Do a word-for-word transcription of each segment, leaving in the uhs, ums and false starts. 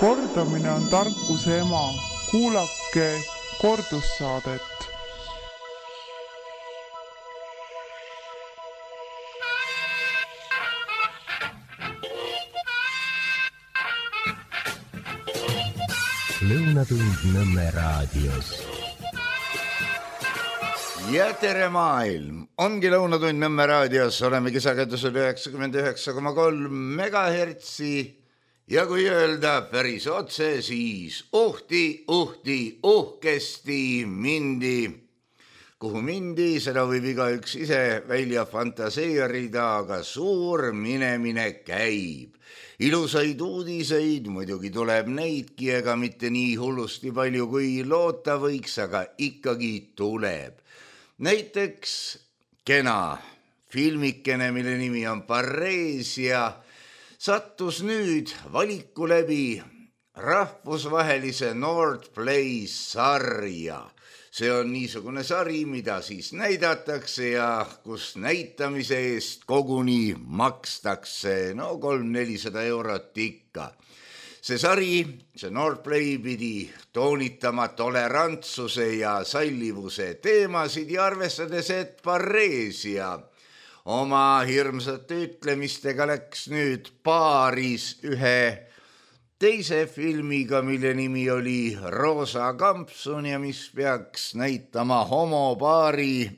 Kordamine on tarkuse ema. Kuulake kordussaadet. Lõunatund Nõmme raadios. Ja tere maailm! Ongi Lõunatund Nõmme raadios. Oleme kisakendusel üheksakümmend üheksa koma kolm megahertsi. Ja kui öelda päris otse, siis uhti, uhti, uhkesti mindi. Kuhu mindi, seda võib igaüks ise välja fantaseerida, aga suur minemine käib. Ilusaid uudiseid, muidugi tuleb neidki, ega mitte nii hullusti palju kui loota võiks, aga ikkagi tuleb. Näiteks kena filmikene, mille nimi on Pareesia, sattus nüüd valiku läbi rahvusvahelise Nord Play sarja. See on niisugune sari, mida siis näidatakse ja kus näitamise eest koguni makstakse, no kolm-nelisada eurot ikka. See sari, see Nord Play pidi toonitama tolerantsuse ja sallivuse teemasid ja arvestades, et Pareesia oma hirmsate ütlemistega läks nüüd paaris ühe teise filmiga, mille nimi oli Roosa kampsun ja mis peaks näitama homopaari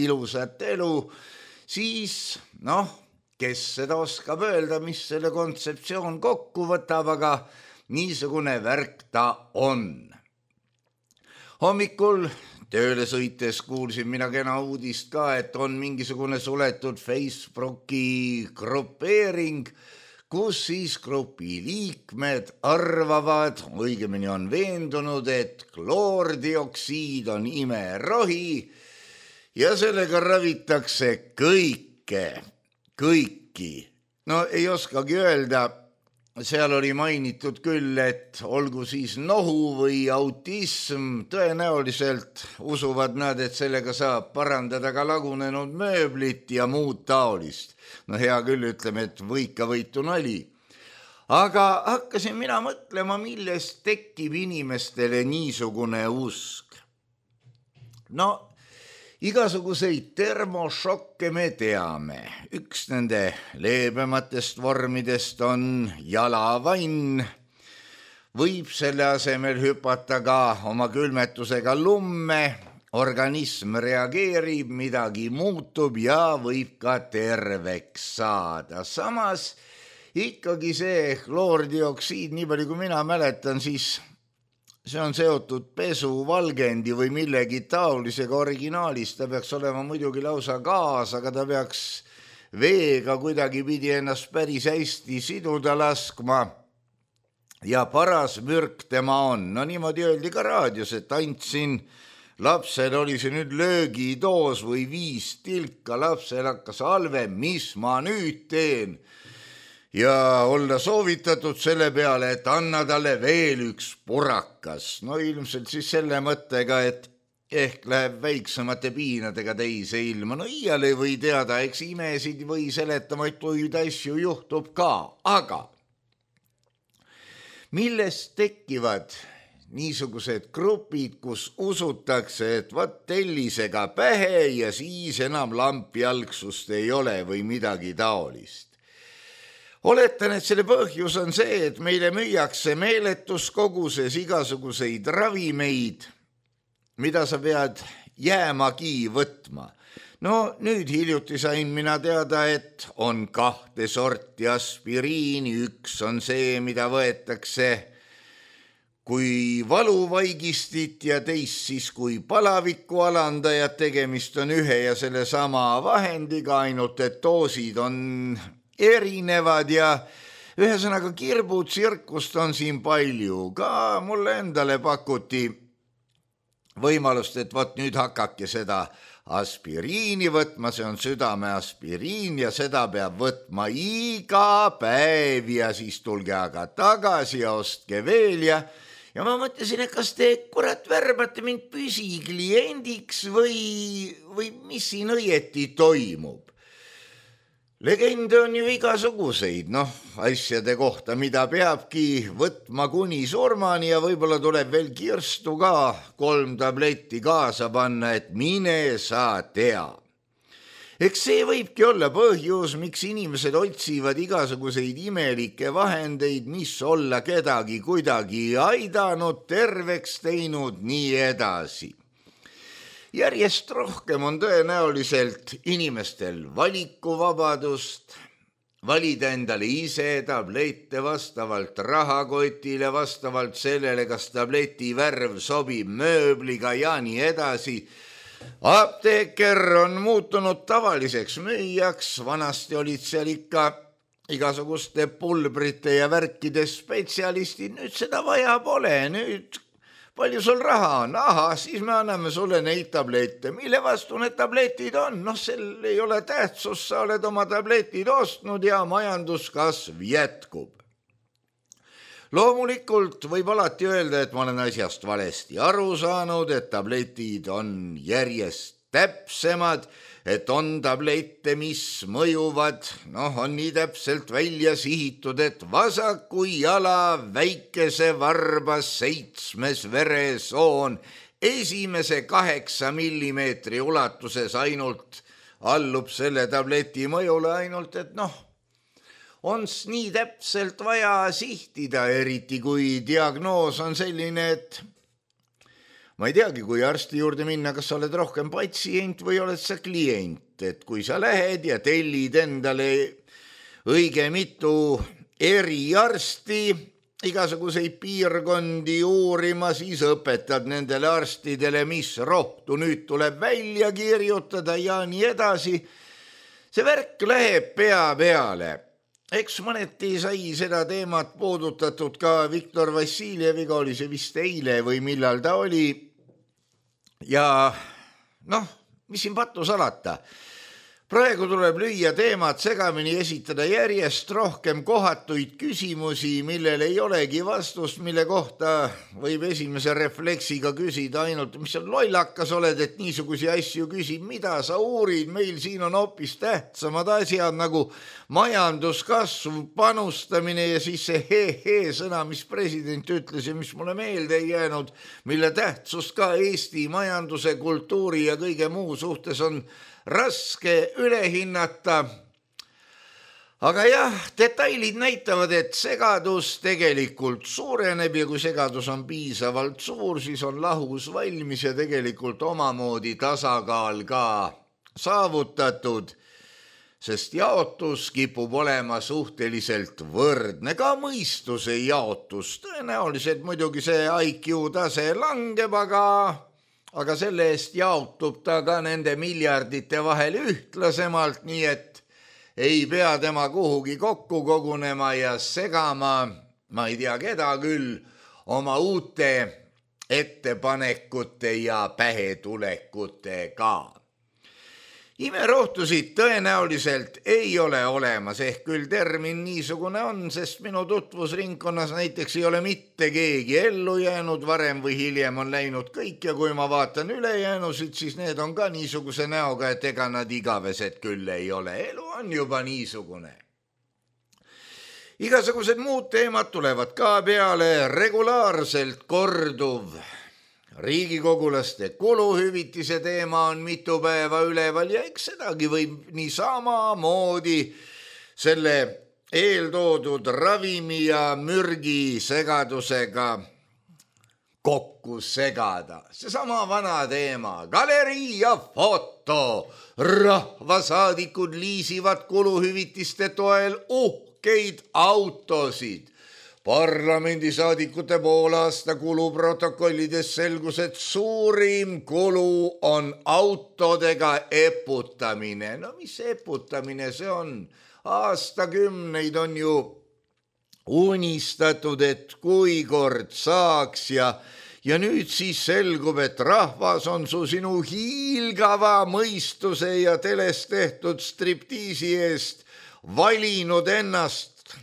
ilusat elu, siis noh, kes seda oskab öelda, mis selle kontseptsioon kokku võtab, aga niisugune värk ta on. Hommikul tööle sõites kuulsin mina kena uudist ka, et on mingisugune suletud Facebooki grupeering, kus siis grupi liikmed arvavad, õigemini on veendunud, et kloordioksiid on imerohi ja sellega ravitakse kõike, kõiki. No ei oskagi öelda, seal oli mainitud küll, et olgu siis nohu või autism, tõenäoliselt usuvad nad, et sellega saab parandada ka lagunenud mööblit ja muud taolist. No hea küll, ütleme, et võika võitu nali. Aga hakkasin mina mõtlema, millest tekib inimestele niisugune usk. No, igasuguseid termošokke me teame. Üks nende leebematest vormidest on jalavann. Võib selle asemel hüpata ka oma külmetusega lumme. Organism reageerib, midagi muutub ja võib ka terveks saada. Samas ikkagi see kloordioksiid, nii palju kui mina mäletan, siis see on seotud pesu, valgendi või millegi taolisega originaalis. Ta peaks olema muidugi lausa gaas, aga ta peaks veega kuidagi pidi ennast päris hästi siduda laskma. Ja paras mürk tema on. No niimoodi öeldi ka raadios, et andsin lapsel oli see nüüd löögidoos või viis tilka, lapsel hakkas halve, mis ma nüüd teen? Ja olla soovitatud selle peale, et anna talle veel üks purakas. No ilmselt siis selle mõttega, et ehk läheb väiksemate piinadega teise ilma. No iial ei või teada, eks imesid või seletamatuid asju juhtub ka. Aga millest tekivad niisugused grupid, kus usutakse, et võt tellisega pähe ja siis enam lampjalgsust ei ole või midagi taolist. Oletan, et selle põhjus on see, et meile müüakse meeletus koguses igasuguseid ravimeid, mida sa pead jäämagi võtma. No nüüd hiljuti sain mina teada, et on kahte sorti aspiriini, üks on see, mida võetakse kui valuvaigistit ja teist siis kui palaviku alandajad. Tegemist on ühe ja selle sama vahendiga, ainult et doosid on erinevad ja ühesõnaga kirbutsirkust on siin palju. Ka mulle endale pakuti võimalust, et võt nüüd hakake seda aspiriini võtma, see on südame aspiriin ja seda peab võtma iga päev ja siis tulge aga tagasi ja ostke veel ja Ja ma mõtlesin, et kas te kurat värbate mind püsikliendiks või, või mis siin õieti toimub. Legende on ju igasuguseid, noh, asjade kohta, mida peabki võtma kuni surmani ja võib-olla tuleb veel kirstu ka kolm tabletti kaasa panna, et mine sa tea. Eks see võibki olla põhjus, miks inimesed otsivad igasuguseid imelikke vahendeid, mis olla kedagi kuidagi aidanud, terveks teinud, nii edasi. Järjest rohkem on tõenäoliselt inimestel valikuvabadust, valida endale ise tablette vastavalt rahakotile, vastavalt sellele, kas tableti värv sobib mööbliga ja nii edasi. Apteeker on muutunud tavaliseks müüjaks, vanasti olid seal ikka igasuguste pulbrite ja värkide spetsialistid, nüüd seda vaja pole, nüüd palju sul raha on? Aha, siis me anname sulle neid tablette. Mille vastu need tabletid on? Noh, sel ei ole tähtsus, sa oled oma tabletid ostnud ja majanduskasv jätkub. Loomulikult võib alati öelda, et ma olen asjast valesti aru saanud, et tabletid on järjest täpsemad, et on tablette, mis mõjuvad, noh, on nii täpselt välja sihitud, et vasaku jala väikese varba seitsmes veresoon esimese kaheksa millimeetri ulatuses ainult allub selle tableti mõjule, ainult et noh, on nii täpselt vaja sihtida, eriti kui diagnoos on selline, et ma ei teagi, kui arsti juurde minna, kas sa oled rohkem patsient või oled sa klient, et kui sa lähed ja tellid endale õige mitu eriarsti, igasuguseid piirkondi uurima, siis õpetad nendele arstidele, mis rohtu nüüd tuleb välja kirjutada ja nii edasi. See värk läheb pea peale. Eks mõneti sai seda teemat puudutatud ka Viktor Vassiljeviga, oli see vist eile või millal ta oli. Ja noh, mis siin pattu salata? Praegu tuleb lüüa teemat segamini, esitada järjest rohkem kohatuid küsimusi, millel ei olegi vastust, mille kohta võib esimese refleksiga küsida ainult, mis on lollakas oled, et niisugusi asju küsib, mida sa uurid, meil siin on hoopis tähtsamad asjad nagu majanduskasvu panustamine ja siis see he-he sõna, mis president ütles ja mis mulle meelde ei jäänud, mille tähtsust ka Eesti majanduse, kultuuri ja kõige muu suhtes on raske üle hinnata. Aga jah, detailid näitavad, et segadus tegelikult suureneb ja kui segadus on piisavalt suur, siis on lahus valmis ja tegelikult omamoodi tasakaal ka saavutatud, sest jaotus kipub olema suhteliselt võrdne, ka mõistuse jaotus. Tõenäoliselt muidugi see I Q tase langeb, aga aga selle eest jaotub ta ka nende miljardite vahel ühtlasemalt, nii et ei pea tema kuhugi kokku kogunema ja segama, ma ei tea keda küll, oma uute ettepanekute ja pähetulekutega. Imerohtusid tõenäoliselt ei ole olemas, ehk küll termin niisugune on, sest minu tutvusringkonnas näiteks ei ole mitte keegi ellu jäänud, varem või hiljem on läinud kõik ja kui ma vaatan ülejäänusid, siis need on ka niisuguse näoga, et ega nad igavesed küll ei ole. Elu on juba niisugune. Igasugused muud teemad tulevad ka peale, regulaarselt korduv riigikogulaste kuluhüvitise teema on mitu päeva üleval ja eks sedagi võib nii samamoodi selle eeltoodud ravimi ja mürgi segadusega kokku segada. Seesama vana teema, galerii ja foto. Rahvasaadikud liisivad kuluhüvitiste toel uhkeid autosid. Parlamendisaadikute poolaasta kuluprotokollides selgus, et suurim kulu on autodega eputamine. No mis eputamine see on? Aastakümneid on ju unistatud, et kui kord saaks ja, ja nüüd siis selgub, et rahvas on su sinu hiilgava mõistuse ja teles tehtud striptiisi eest valinud ennast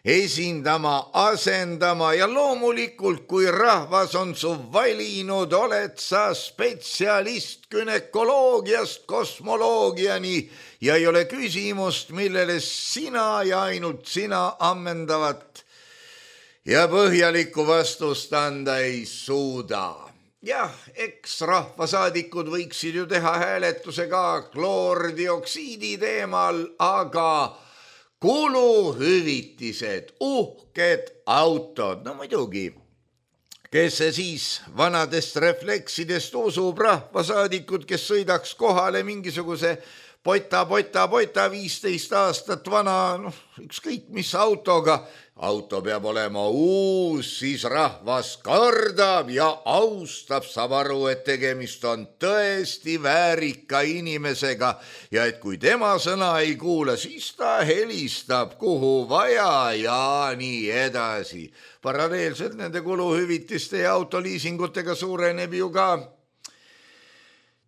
esindama, asendama ja loomulikult, kui rahvas on su valinud, oled sa spetsialist günekoloogiast kosmoloogiani ja ei ole küsimust, millele sina ja ainult sina ammendavat ja põhjalikku vastust anda ei suuda. Jah, eks rahvasaadikud võiksid ju teha hääletuse ka kloordioksiidi teemal, aga kuluhüvitised, uhked autod, no muidugi, kes see siis vanadest refleksidest usub, rahvasaadikud, kes sõidaks kohale mingisuguse pota, pota, pota, viisteist aastat vana, noh, ükskõik mis autoga, auto peab olema uus, siis rahvas kardab ja austab, saab aru, et tegemist on tõesti väärika inimesega ja et kui tema sõna ei kuula, siis ta helistab kuhu vaja ja nii edasi. Paralleelselt nende kuluhüvitiste ja autoliisingutega suureneb ju ka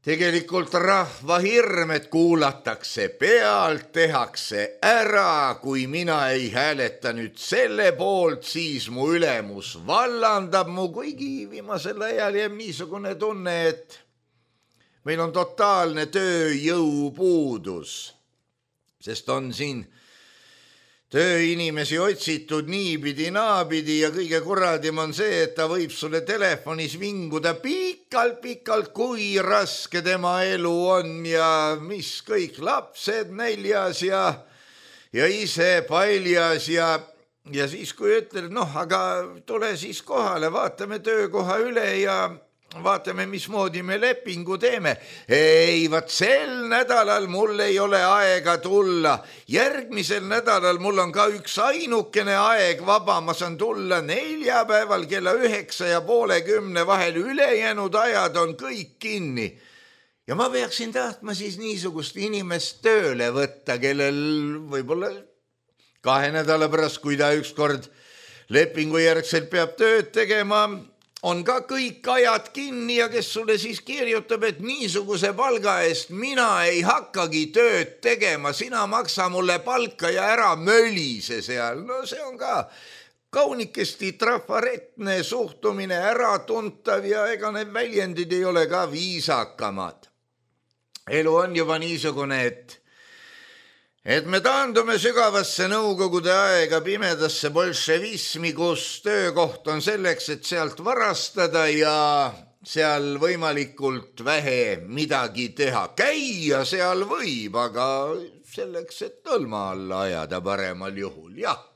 tegelikult rahva hirm, et kuulatakse pealt, tehakse ära, kui mina ei hääleta nüüd selle poolt, siis mu ülemus vallandab mu, kuigi viimasel ajal jääb niisugune tunne, et meil on totaalne tööjõupuudus, sest on siin tööinimesi otsitud niipidi, naapidi ja kõige kuradim on see, et ta võib sulle telefonis vinguda pikalt-pikalt, kui raske tema elu on ja mis kõik lapsed näljas ja, ja ise paljas ja, ja siis kui ütled, noh, aga tule siis kohale, vaatame töökoha üle ja vaatame, mismoodi me lepingu teeme. Ei, vaat sel nädalal mul ei ole aega tulla. Järgmisel nädalal mul on ka üks ainukene aeg vaba. Ma saan tulla neljapäeval kella üheksa ja poole kümne vahel. Ülejäänud ajad on kõik kinni. Ja ma peaksin tahtma siis niisugust inimest tööle võtta, kellel võib-olla kahe nädala pärast, kui ta ükskord lepingu järgselt peab tööd tegema, on ka kõik ajad kinni ja kes sulle siis kirjutab, et niisuguse palga eest mina ei hakkagi tööd tegema, sina maksa mulle palka ja ära mölise seal. No see on ka kaunikesti trafaretne suhtumine, äratuntav ja ega need väljendid ei ole ka viisakamad. Elu on juba niisugune, et Et me taandume sügavasse nõukogude aega pimedasse bolševismi, kus töökoht on selleks, et sealt varastada ja seal võimalikult vähe midagi teha. Käia seal võib, aga selleks, et tõlma alla ajada paremal juhul, jah.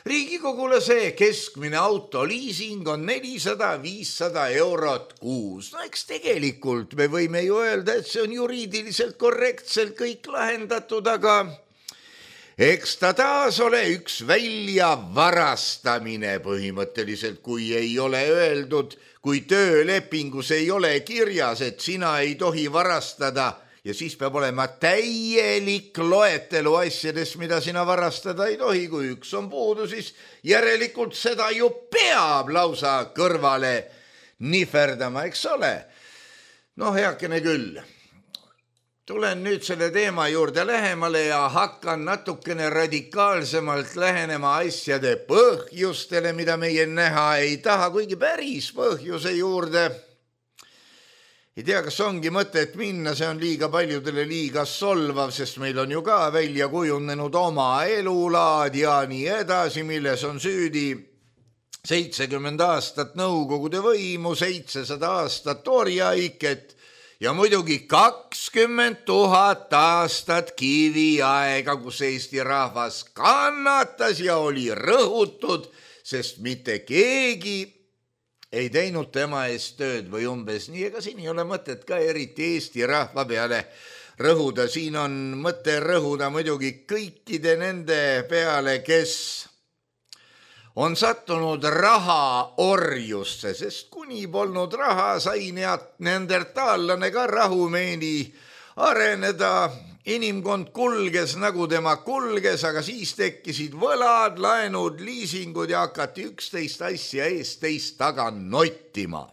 Riigikogule see keskmine autoliising on nelisada viissada eurot kuus. No eks tegelikult me võime ju öelda, et see on juriidiliselt korrektselt kõik lahendatud, aga eks ta taas ole üks välja varastamine põhimõtteliselt, kui ei ole öeldud, kui töölepingus ei ole kirjas, et sina ei tohi varastada. Ja siis peab olema täielik loetelu asjadest, mida sina varastada ei tohi. Kui üks on puudu, siis järelikult seda ju peab lausa kõrvale nihverdama, eks ole. No heakene küll. Tulen nüüd selle teema juurde lähemale ja hakkan natukene radikaalsemalt lähenema asjade põhjustele, mida meie näha ei taha, kuigi päris põhjuse juurde. Ei tea, kas ongi mõtet minna, see on liiga paljudele liiga solvav, sest meil on ju ka välja kujunenud oma elulaad ja nii edasi, milles on süüdi seitsekümmend aastat nõukogude võimu, seitsesada aastat orjaiket ja muidugi kakskümmend tuhat aastat kiviaega, kus Eesti rahvas kannatas ja oli rõhutud, sest mitte keegi ei teinud tema eest tööd või umbes nii, ega siin ei ole mõtet ka eriti Eesti rahva peale rõhuda. Siin on mõte rõhuda muidugi kõikide nende peale, kes on sattunud raha orjusse, sest kuni polnud raha, sai neandertaallane ka rahumeeni areneda. Inimkond kulges nagu tema kulges, aga siis tekkisid võlad, laenud, liisingud ja hakati üksteist asja eest teist taga nottima.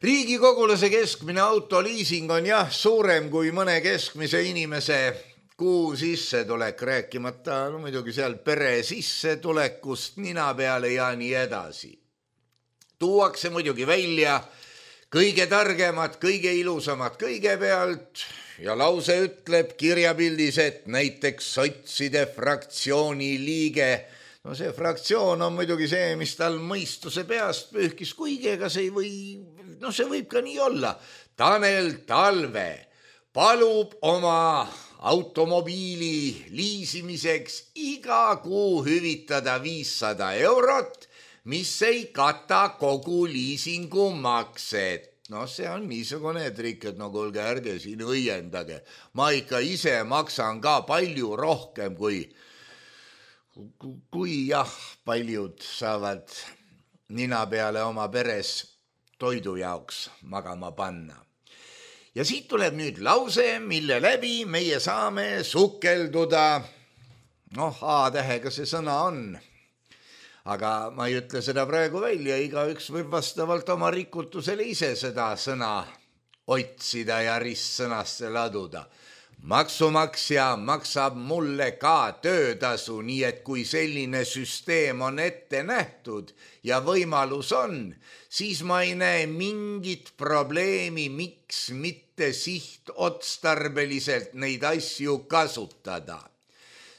Riigikogulase keskmine autoliising on jah suurem kui mõne keskmise inimese kuu sissetulek, rääkimata no muidugi seal pere sissetulekust nina peale ja nii edasi. Tuuakse muidugi välja kõige targemad, kõige ilusamad kõigepealt ja lause ütleb kirjapildis, et näiteks sotside fraktsiooni liige, no see fraktsioon on muidugi see, mis tal mõistuse peast pühkis, kuigi ega see ei või, no see võib ka nii olla. Tanel Talve palub oma automobiili liisimiseks iga kuu hüvitada viissada eurot, mis ei kata kogu liisingu makset. No see on niisugune trik, et no kuulge, ärge siin õiendage. Ma ikka ise maksan ka palju rohkem kui, kui jah, paljud saavad nina peale oma peres toidu jaoks magama panna. Ja siit tuleb nüüd lause, mille läbi meie saame sukelduda. Noh, A-tähega see sõna on. Aga ma ei ütle seda praegu välja, igaüks võib vastavalt oma rikutusele ise seda sõna otsida ja ristsõnasse laduda. Maksumaksja maksab mulle ka töötasu, nii et kui selline süsteem on ette nähtud ja võimalus on, siis ma ei näe mingit probleemi, miks mitte sihtotstarbeliselt neid asju kasutada.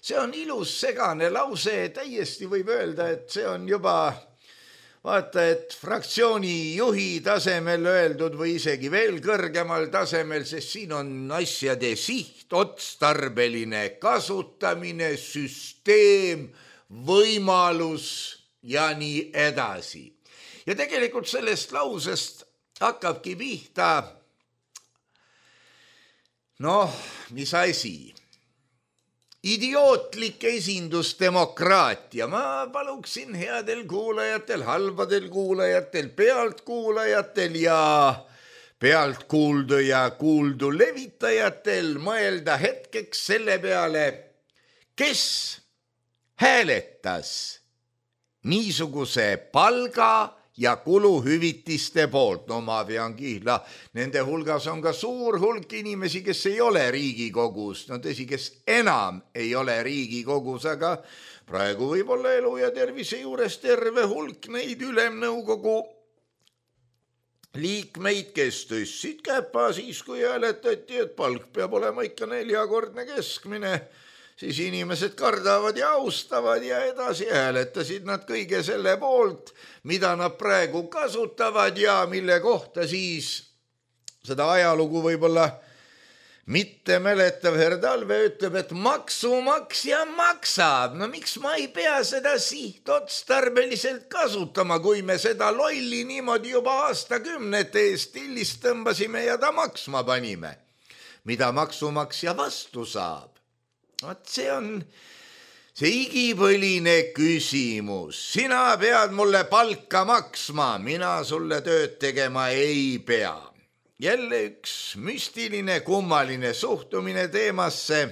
See on ilus segane lause, täiesti võib öelda, et see on juba vaata, et fraktsiooni juhi tasemel öeldud või isegi veel kõrgemal tasemel, sest siin on asjade sihtotstarbeline kasutamine, süsteem, võimalus ja nii edasi. Ja tegelikult sellest lausest hakkabki pihta, noh, mis asi? Idiootlik esindusdemokraatia. Ma paluksin headel kuulajatel, halbadel kuulajatel, pealtkuulajatel ja pealtkuuldu ja kuuldu levitajatel mõelda hetkeks selle peale, kes hääletas niisuguse palga ja kuluhüvitiste poolt. No ma pean kihla, nende hulgas on ka suur hulk inimesi, kes ei ole Riigikogus. No tõsi, kes enam ei ole Riigikogus, aga praegu võib olla elu ja tervise juures terve hulk neid ülemnõukogu liikmeid, kes tõstsid käpa siis, kui hääletati, et palk peab olema ikka neljakordne keskmine. Siis inimesed kardavad ja austavad ja edasi hääletasid nad kõige selle poolt, mida nad praegu kasutavad ja mille kohta siis seda ajalugu võib-olla mitte mäletav herr Talve ütleb, et maksumaksja maksab. No miks ma ei pea seda sihtotstarbeliselt kasutama, kui me seda lolli niimoodi juba aastakümnete eest tillist tõmbasime ja ta maksma panime, mida maksumaksja vastu saab. Vaat see on see igipõline küsimus. Sina pead mulle palka maksma, mina sulle tööd tegema ei pea. Jälle üks müstiline, kummaline suhtumine teemasse.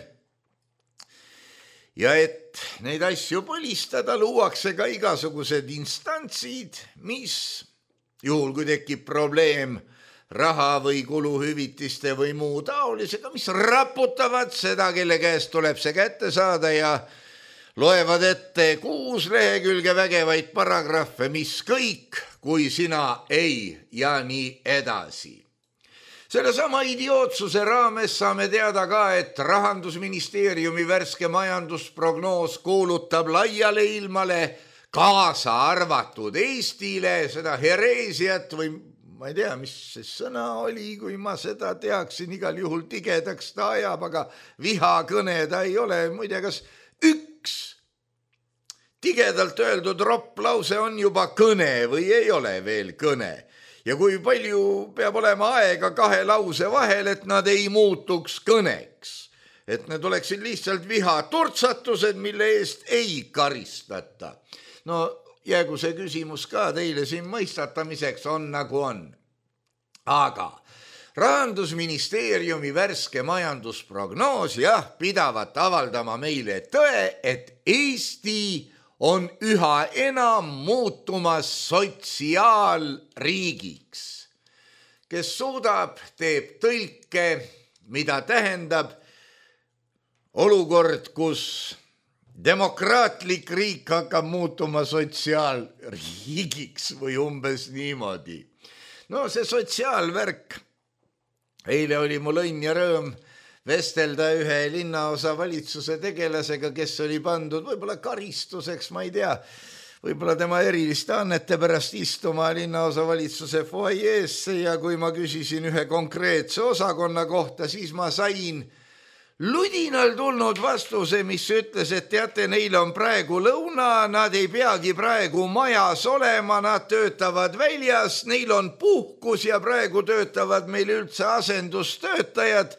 Ja et neid asju põlistada, luuakse ka igasugused instantsid, mis juhul kui tekib probleem raha või kuluhüvitiste või muu taolisega, mis raputavad seda, kelle käest tuleb see kätte saada ja loevad ette kuus lehekülge vägevaid paragrahve, mis kõik, kui sina ei ja nii edasi. Selle sama idiootsuse raames saame teada ka, et Rahandusministeeriumi värske majandusprognoos kuulutab laiale ilmale kaasa arvatud Eestile seda hereesiat või ma ei tea, mis see sõna oli, kui ma seda teaksin, igal juhul tigedaks ta ajab, aga vihakõne ta ei ole. Muide, kas üks tigedalt öeldud ropp lause on juba kõne või ei ole veel kõne? Ja kui palju peab olema aega kahe lause vahel, et nad ei muutuks kõneks? Et need oleksid lihtsalt vihaturtsatused, mille eest ei karistata. No jäägu see küsimus ka teile siin mõistatamiseks on nagu on. Aga Rahandusministeeriumi värske majandusprognoos jah pidavat avaldama meile tõe, et Eesti on üha enam muutumas sotsiaalriigiks, kes suudab, teeb tõlke, mida tähendab olukord, kus demokraatlik riik hakkab muutuma sotsiaalriigiks või umbes niimoodi. No see sotsiaalvärk. Eile oli mul õnn ja rõõm vestelda ühe linnaosa valitsuse tegelasega, kes oli pandud võib-olla karistuseks, ma ei tea, võib-olla tema eriliste annete pärast istuma linnaosa valitsuse foajeesse ja kui ma küsisin ühe konkreetse osakonna kohta, siis ma sain ludinal tulnud vastuse, mis ütles, et teate, neil on praegu lõuna, nad ei peagi praegu majas olema, nad töötavad väljas, neil on puhkus ja praegu töötavad meil üldse asendustöötajad.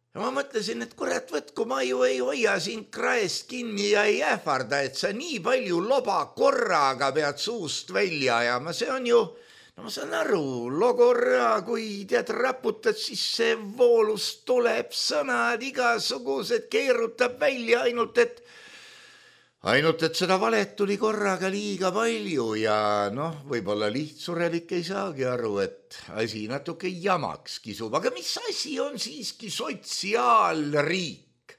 Ja ma mõtlesin, et kurat, võtku, ma ju ei hoia sind kraest kinni ja ei ähvarda, et sa nii palju loba korraga pead suust välja ajama. See on ju, no ma saan aru, logorra, kui tead raputad, siis see voolus tuleb, sõnad igasugused, keerutab välja ainult, et ainult, et seda valet tuli korraga liiga palju ja noh, võib-olla lihtsurelik ei saagi aru, et asi natuke jamaks kisub, aga mis asi on siiski sotsiaalriik?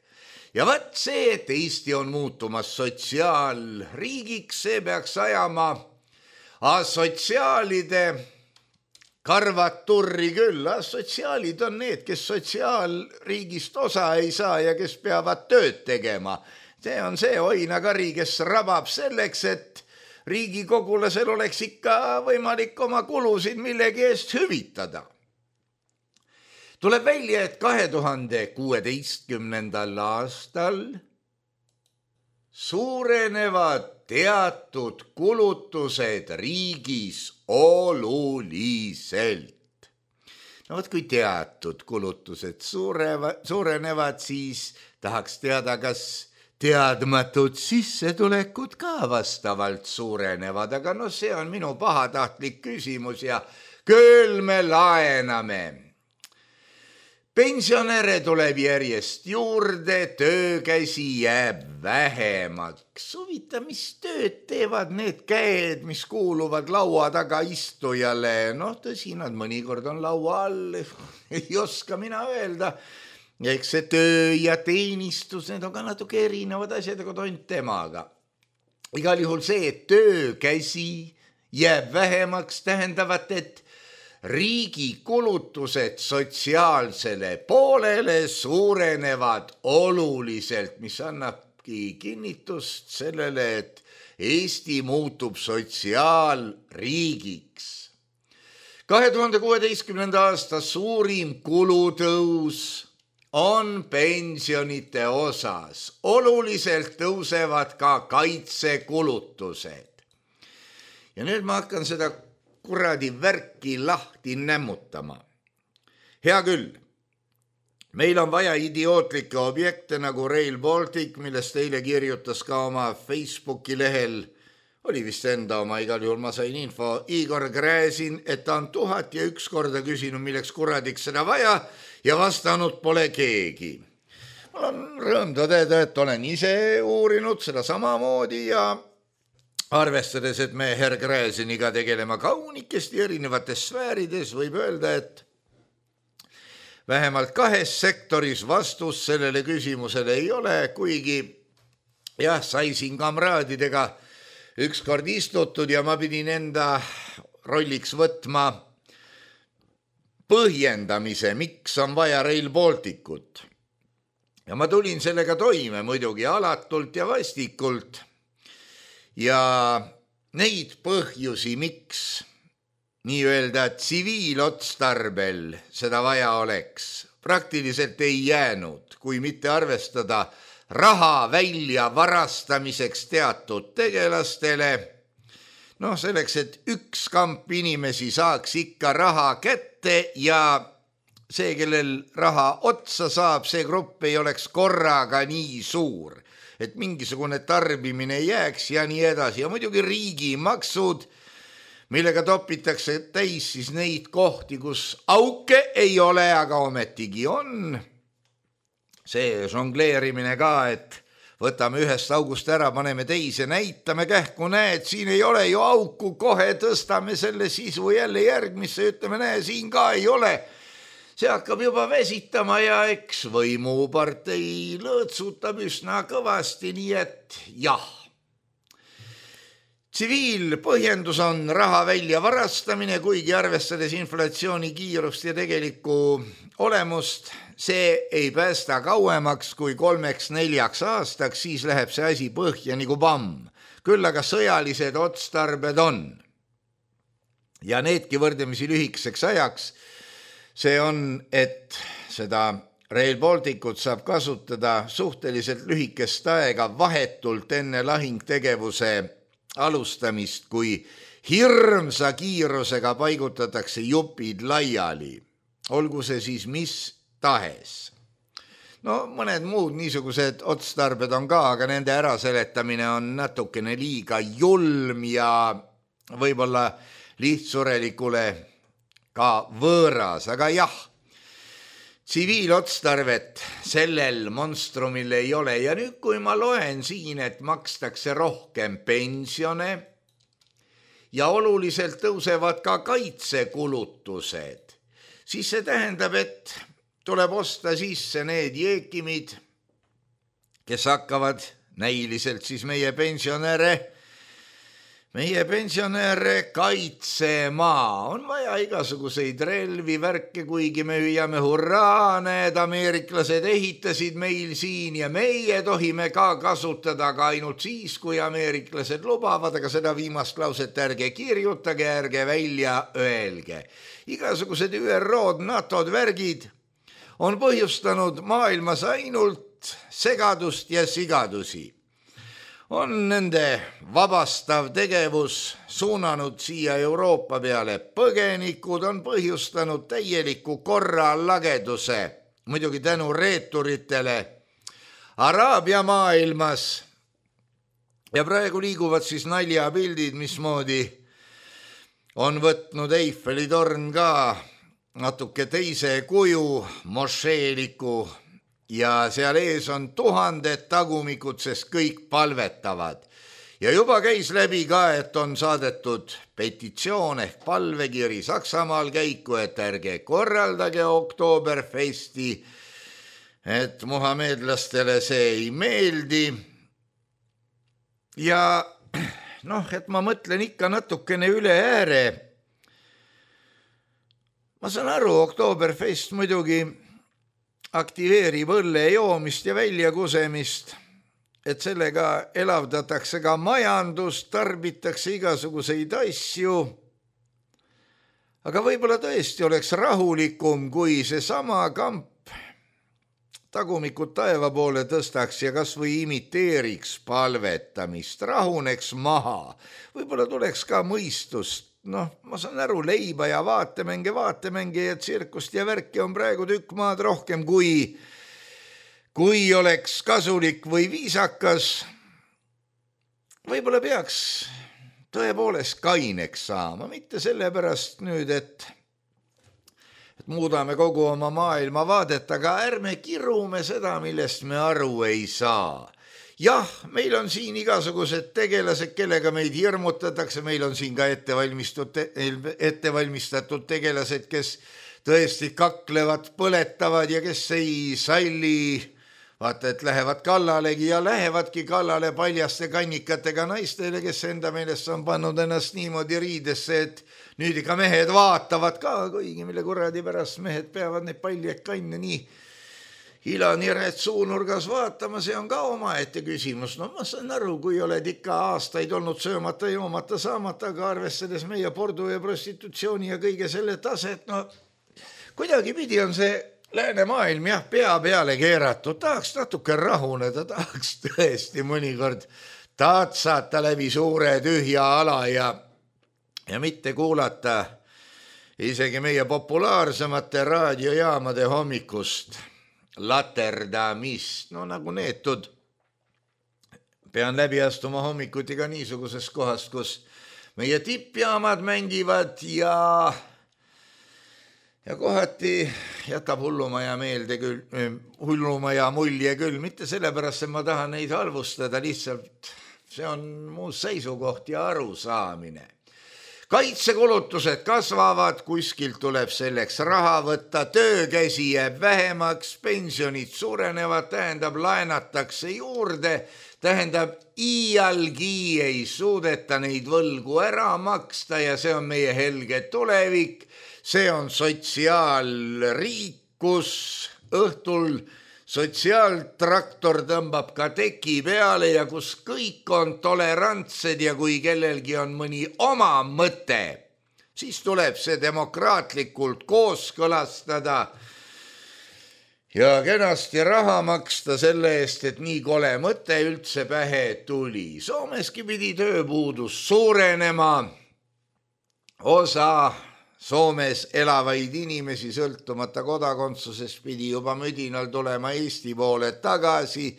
Ja vaat see, et Eesti on muutumas sotsiaalriigiks, see peaks ajama asotsiaalide karvad turri küll. Asotsiaalid on need, kes sotsiaalriigist osa ei saa ja kes peavad tööd tegema. See on see oinakari, kes rabab selleks, et riigikogulasel oleks ikka võimalik oma kulusid millegi eest hüvitada. Tuleb välja, et kahe tuhande kuueteistkümnendal aastal suurenevad teatud kulutused riigis oluliselt. No võt, kui teatud kulutused suurevad, suurenevad, siis tahaks teada, kas teadmatud sissetulekud ka vastavalt suurenevad, aga no see on minu pahatahtlik küsimus ja küll me laename. Pensionäre tuleb järjest juurde, töökäsi jääb vähemaks. Huvita, mis tööd teevad need käed, mis kuuluvad laua taga istujale? Noh, tõsi, nad mõnikord on laua all, ei oska mina öelda. Ja eks see töö ja teenistus, need on ka natuke erinevad asjad, aga tont temaga. Igal juhul see, et töökäsi jääb vähemaks, tähendavat, et riigi kulutused sotsiaalsele poolele suurenevad oluliselt, mis annabki kinnitust sellele, et Eesti muutub sotsiaalriigiks. kahe tuhande kuueteistkümnenda aasta suurim kulutõus on pensionite osas. Oluliselt tõusevad ka kaitsekulutused. Ja nüüd ma hakkan seda kuradi värki lahti nämmutama. Hea küll, meil on vaja idiootlikke objekte nagu Rail Baltic, millest eile kirjutas ka oma Facebooki lehel, oli vist enda oma, igal juhul ma sain info, Igor Gräzin, et ta on tuhat ja üks korda küsinud, milleks kuradiks seda vaja, ja vastanud pole keegi. Mul on rõõm tõdeda, et olen ise uurinud seda samamoodi ja arvestades, et me herr Gräziniga tegelema kaunikesti erinevates sfäärides, võib öelda, et vähemalt kahes sektoris vastus sellele küsimusele ei ole, kuigi jah, sai siin kamraadidega ükskord istutud ja ma pidin enda rolliks võtma põhjendamise, miks on vaja Rail Balticut. Ja ma tulin sellega toime muidugi alatult ja vastikult. Ja neid põhjusi, miks nii-öelda tsiviilotstarbel seda vaja oleks, praktiliselt ei jäänud, kui mitte arvestada raha välja varastamiseks teatud tegelastele. Noh, selleks, et üks kamp inimesi saaks ikka raha kätte ja see, kellel raha otsa saab, see grupp ei oleks korraga nii suur, et mingisugune tarbimine jääks ja nii edasi. Ja muidugi riigimaksud, millega topitakse täis siis neid kohti, kus auke ei ole, aga ometigi on. See žongleerimine ka, et võtame ühest august ära, paneme teise, näitame kähku, näed, siin ei ole ju auku, kohe tõstame selle sisu jälle järgmisse, ütleme, näe, siin ka ei ole. see hakkab juba vesitama ja eks võimupartei lõõtsutab üsna kõvasti, nii et jah. Tsiviilpõhjendus on raha välja varastamine, kuigi arvestades inflatsiooni kiirust ja tegelikku olemust, see ei päästa kauemaks kui kolmeks neljaks aastaks, siis läheb see asi põhja nagu pamm. Küll aga sõjalised otstarbed on. Ja needki võrdlemisi lühikeseks ajaks, see on, et seda Rail Balticut saab kasutada suhteliselt lühikest aega vahetult enne lahingtegevuse alustamist, kui hirmsa kiirusega paigutatakse jupid laiali, olgu see siis mis tahes. No mõned muud niisugused otstarbed on ka, aga nende äraseletamine on natukene liiga julm ja võib-olla lihtsurelikule ka võõras, aga jah, tsiviilotstarvet sellel monstrumil ei ole ja nüüd, kui ma loen siin, et makstakse rohkem pensione ja oluliselt tõusevad ka kaitsekulutused, siis see tähendab, et tuleb osta sisse need jeekimid, kes hakkavad näiliselt siis meie pensionäre Meie pensionäre kaitsema. On vaja igasuguseid relvi, värke, kuigi me hüüame hurraa, need ameeriklased ehitasid meil siin ja meie tohime ka kasutada ka ainult siis, kui ameeriklased lubavad, aga seda viimast lauset ärge kirjutage, ärge välja öelge. Igasugused Ü R O-d, NATO-d, värgid on põhjustanud maailmas ainult segadust ja sigadusi. On nende vabastav tegevus suunanud siia Euroopa peale põgenikud, on põhjustanud täieliku korra lageduse, muidugi tänu reeturitele Araabia maailmas. Ja praegu liiguvad siis naljapildid, mismoodi on võtnud Eiffeli torn ka natuke teise kuju, mošeeliku, ja seal ees on tuhanded tagumikud, sest kõik palvetavad. Ja juba käis läbi ka, et on saadetud petitsioon ehk palvekiri Saksamaal käiku, et ärge korraldage Oktoberfesti, et muhamedlastele see ei meeldi. Ja noh, et ma mõtlen ikka natukene üle ääre. Ma saan aru, Oktoberfest muidugi aktiveerib õlle joomist ja väljakusemist, et sellega elavdatakse ka majandust, tarbitakse igasuguseid asju. Aga võib-olla tõesti oleks rahulikum, kui see sama kamp tagumikud taeva poole tõstaks ja kas või imiteeriks palvetamist, rahuneks maha. Võib-olla tuleks ka mõistust. Noh, ma saan aru, leiba ja vaatemänge, vaatemänge ja tsirkust ja värki on praegu tükk maad rohkem, kui, kui oleks kasulik või viisakas. Võib-olla peaks tõepoolest kaineks saama, mitte sellepärast nüüd, et, et muudame kogu oma maailma vaadet, aga ärme kirume seda, millest me aru ei saa. Jah, meil on siin igasugused tegelased, kellega meid hirmutatakse, meil on siin ka ettevalmistatud tegelased, kes tõesti kaklevad, põletavad ja kes ei salli, vaata, et lähevad kallalegi ja lähevadki kallale paljaste kannikatega naistele, kes enda meelest on pannud ennast niimoodi riidesse, et nüüd ikka mehed vaatavad ka, kuigi mille kuradi pärast mehed peavad neid paljaid kanne nii ilaniret suunurgas vaatama, see on ka omaette küsimus. No ma saan aru, kui oled ikka aastaid olnud söömata, joomata, saamata, aga arvestades meie pordu ja prostitutsiooni ja kõige selle taset, no kuidagi pidi on see lääne maailm jah, pea peale keeratud, tahaks natuke rahuneda, tahaks tõesti mõnikord tatsata läbi suure tühja ala ja, ja mitte kuulata isegi meie populaarsemate raadiojaamade hommikust laterdamist, no nagu neetud. Pean läbi astuma hommikuti ka niisuguses kohast, kus meie tippjaamad mängivad ja, ja kohati jätab hullumaja meelde küll, hullumaja mulje küll, mitte sellepärast, et ma tahan neid halvustada, lihtsalt see on mu seisukoht ja arusaamine. kaitsekulutused kasvavad, kuskilt tuleb selleks raha võtta, töökäsi jääb vähemaks, pensionid suurenevad, tähendab laenatakse juurde, tähendab iialgi ei suudeta neid võlgu ära maksta ja see on meie helge tulevik, see on sotsiaalriik, kus õhtul sotsiaaltraktor tõmbab ka teki peale ja kus kõik on tolerantsed ja kui kellelgi on mõni oma mõte, siis tuleb see demokraatlikult kooskõlastada ja kenasti raha maksta selle eest, et nii kole mõte üldse pähe tuli. Soomeski pidi tööpuudus suurenema, osa Soomes elavaid inimesi sõltumata kodakondsusest pidi juba müdinal tulema Eesti poole tagasi.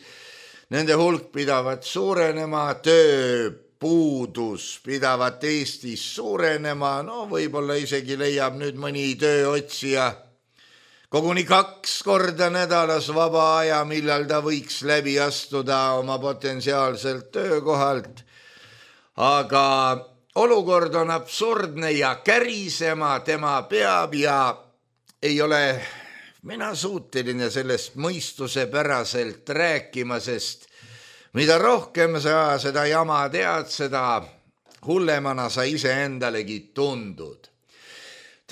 Nende hulk pidavat suurenema, tööpuudus pidavat Eestis suurenema, no võib-olla isegi leiab nüüd mõni tööotsija koguni kaks korda nädalas vaba aja, millal ta võiks läbi astuda oma potentsiaalselt töökohalt, aga olukord on absurdne ja kärisema tema peab ja ei ole mina suuteline sellest mõistusepäraselt rääkima, sest mida rohkem sa seda jama tead, seda hullemana sa iseendalegi tundud.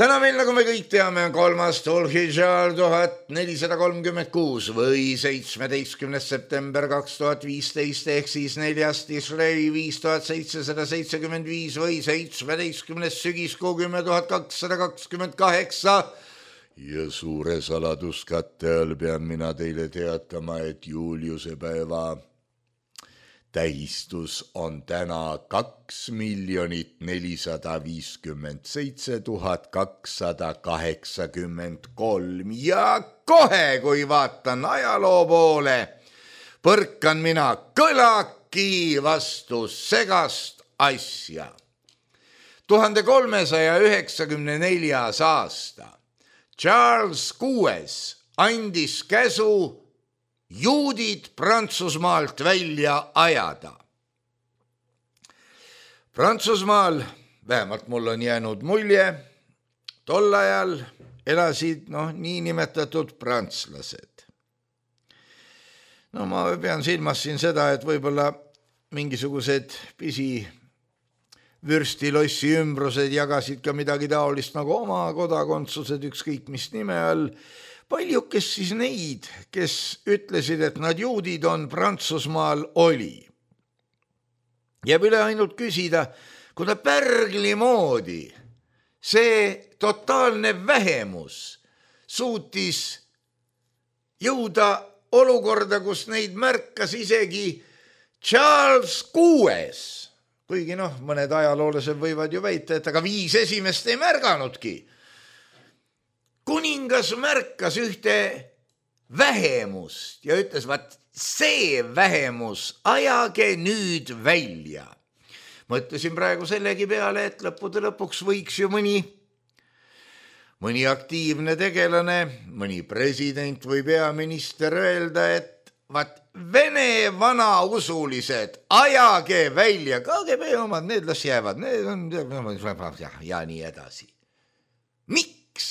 Täna meil, nagu me kõik teame, on kolmas Dhul-Hijjah tuhat nelisada kolmkümmend kuus või seitsmeteistkümnes september kaks tuhat viisteist ehk siis neljas Tishrei viis tuhat seitsesada seitsekümmend viis või seitsmeteistkümnes sügiskuu kümme tuhat kakssada kakskümmend kaheksa. Ja suure saladuskatte all pean mina teile teatama, et Juliuse päeva tähistus on täna kaks miljonit nelisada viiskümmend seitse tuhat kakssada kaheksakümmend kolm ja kohe, kui vaatan ajaloo poole, põrkan mina kõlaki vastu segast asja. tuhande kolmesaja üheksakümne neljas aasta Charles kuues andis käsu juudid Prantsusmaalt välja ajada. Prantsusmaal, vähemalt mul on jäänud mulje, tol ajal elasid noh, niinimetatud prantslased. No ma pean silmas siin seda, et võib-olla mingisugused pisi vürstilossi ümbrused jagasid ka midagi taolist nagu oma kodakondsused, ükskõik mis nime all. Palju, kes siis neid, kes ütlesid, et nad juudid on, Prantsusmaal oli. Jääb üle ainult küsida, kuna pärgli moodi see totaalne vähemus suutis jõuda olukorda, kus neid märkas isegi Charles kuues. Kuigi noh, mõned ajaloolased võivad ju väita, et aga viis esimest ei märganudki. Kuningas märkas ühte vähemust ja ütles, vaat see vähemus ajage nüüd välja. Mõtlesin praegu sellegi peale, et lõppude lõpuks võiks ju mõni, mõni aktiivne tegelane, mõni president või peaminister öelda, et vaat Vene vanausulised ajage välja, K G B omad, need las jäävad, need on ja, ja nii edasi. Miks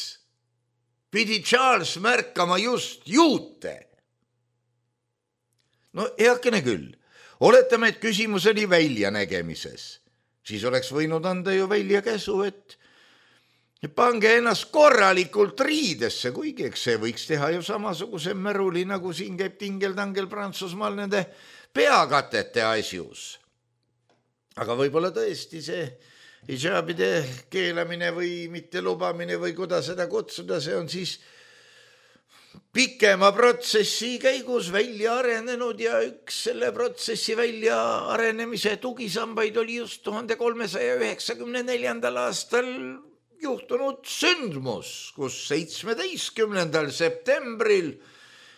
pidi Charles märkama just juute? No heakene küll, oletame, et küsimus oli väljanägemises. Siis oleks võinud anda ju välja käsu, et pange ennast korralikult riidesse, kuigi eks see võiks teha ju samasuguse märuli, nagu siin käib tingel-tangel Prantsusmaal nende peakatete asjus. Aga võib-olla tõesti see hijabide keelamine või mitte lubamine või kuidas seda kutsuda, see on siis pikema protsessi käigus välja arenenud ja üks selle protsessi välja arenemise tugisambaid oli just tuhande kolmesaja üheksakümne neljandal aastal juhtunud sündmus, kus seitsmeteistkümnendal septembril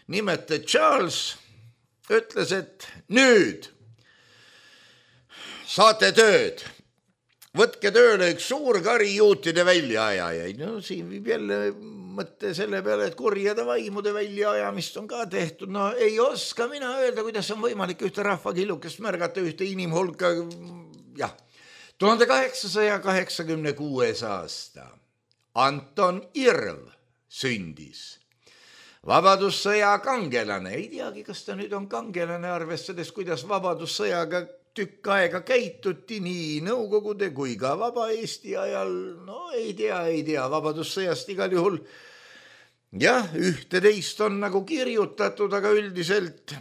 nimete Charles ütles, et nüüd saate tööd, võtke tööle üks suur kari juutide väljaajajaid. No siin viib jälle mõtte selle peale, et kurjade vaimude väljaajamist on ka tehtud. No ei oska mina öelda, kuidas on võimalik ühte rahvakillukest märgata, ühte inimhulka, jah, tuhande kaheksasaja kaheksakümne kuues aasta Anton Irv sündis. Vabadussõja kangelane, ei teagi, kas ta nüüd on kangelane, arvestades, kuidas vabadussõjaga tükk aega käituti nii Nõukogude kui ka Vaba Eesti ajal. No ei tea, ei tea, vabadussõjast igal juhul. Jah, ühte-teist on nagu kirjutatud, aga üldiselt,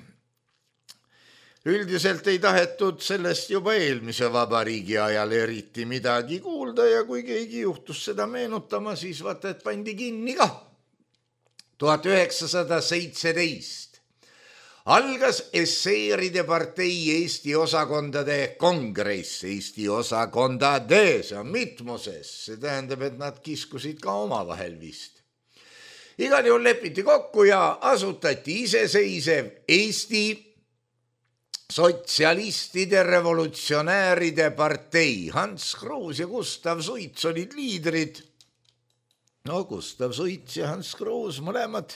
üldiselt ei tahetud sellest juba eelmise vabariigi ajal eriti midagi kuulda ja kui keegi juhtus seda meenutama, siis vaata, et pandi kinni ka. tuhat üheksasada seitseteist algas esseeride partei Eesti osakondade kongress, Eesti osakondade, see on mitmuses, see tähendab, et nad kiskusid ka omavahel vist. Igal juhul lepiti kokku ja asutati iseseisev Eesti sotsialistide revolutsionääride partei. Hans Kruus ja Gustav Suits olid liidrid. No Gustav Suits ja Hans Kruus mõlemad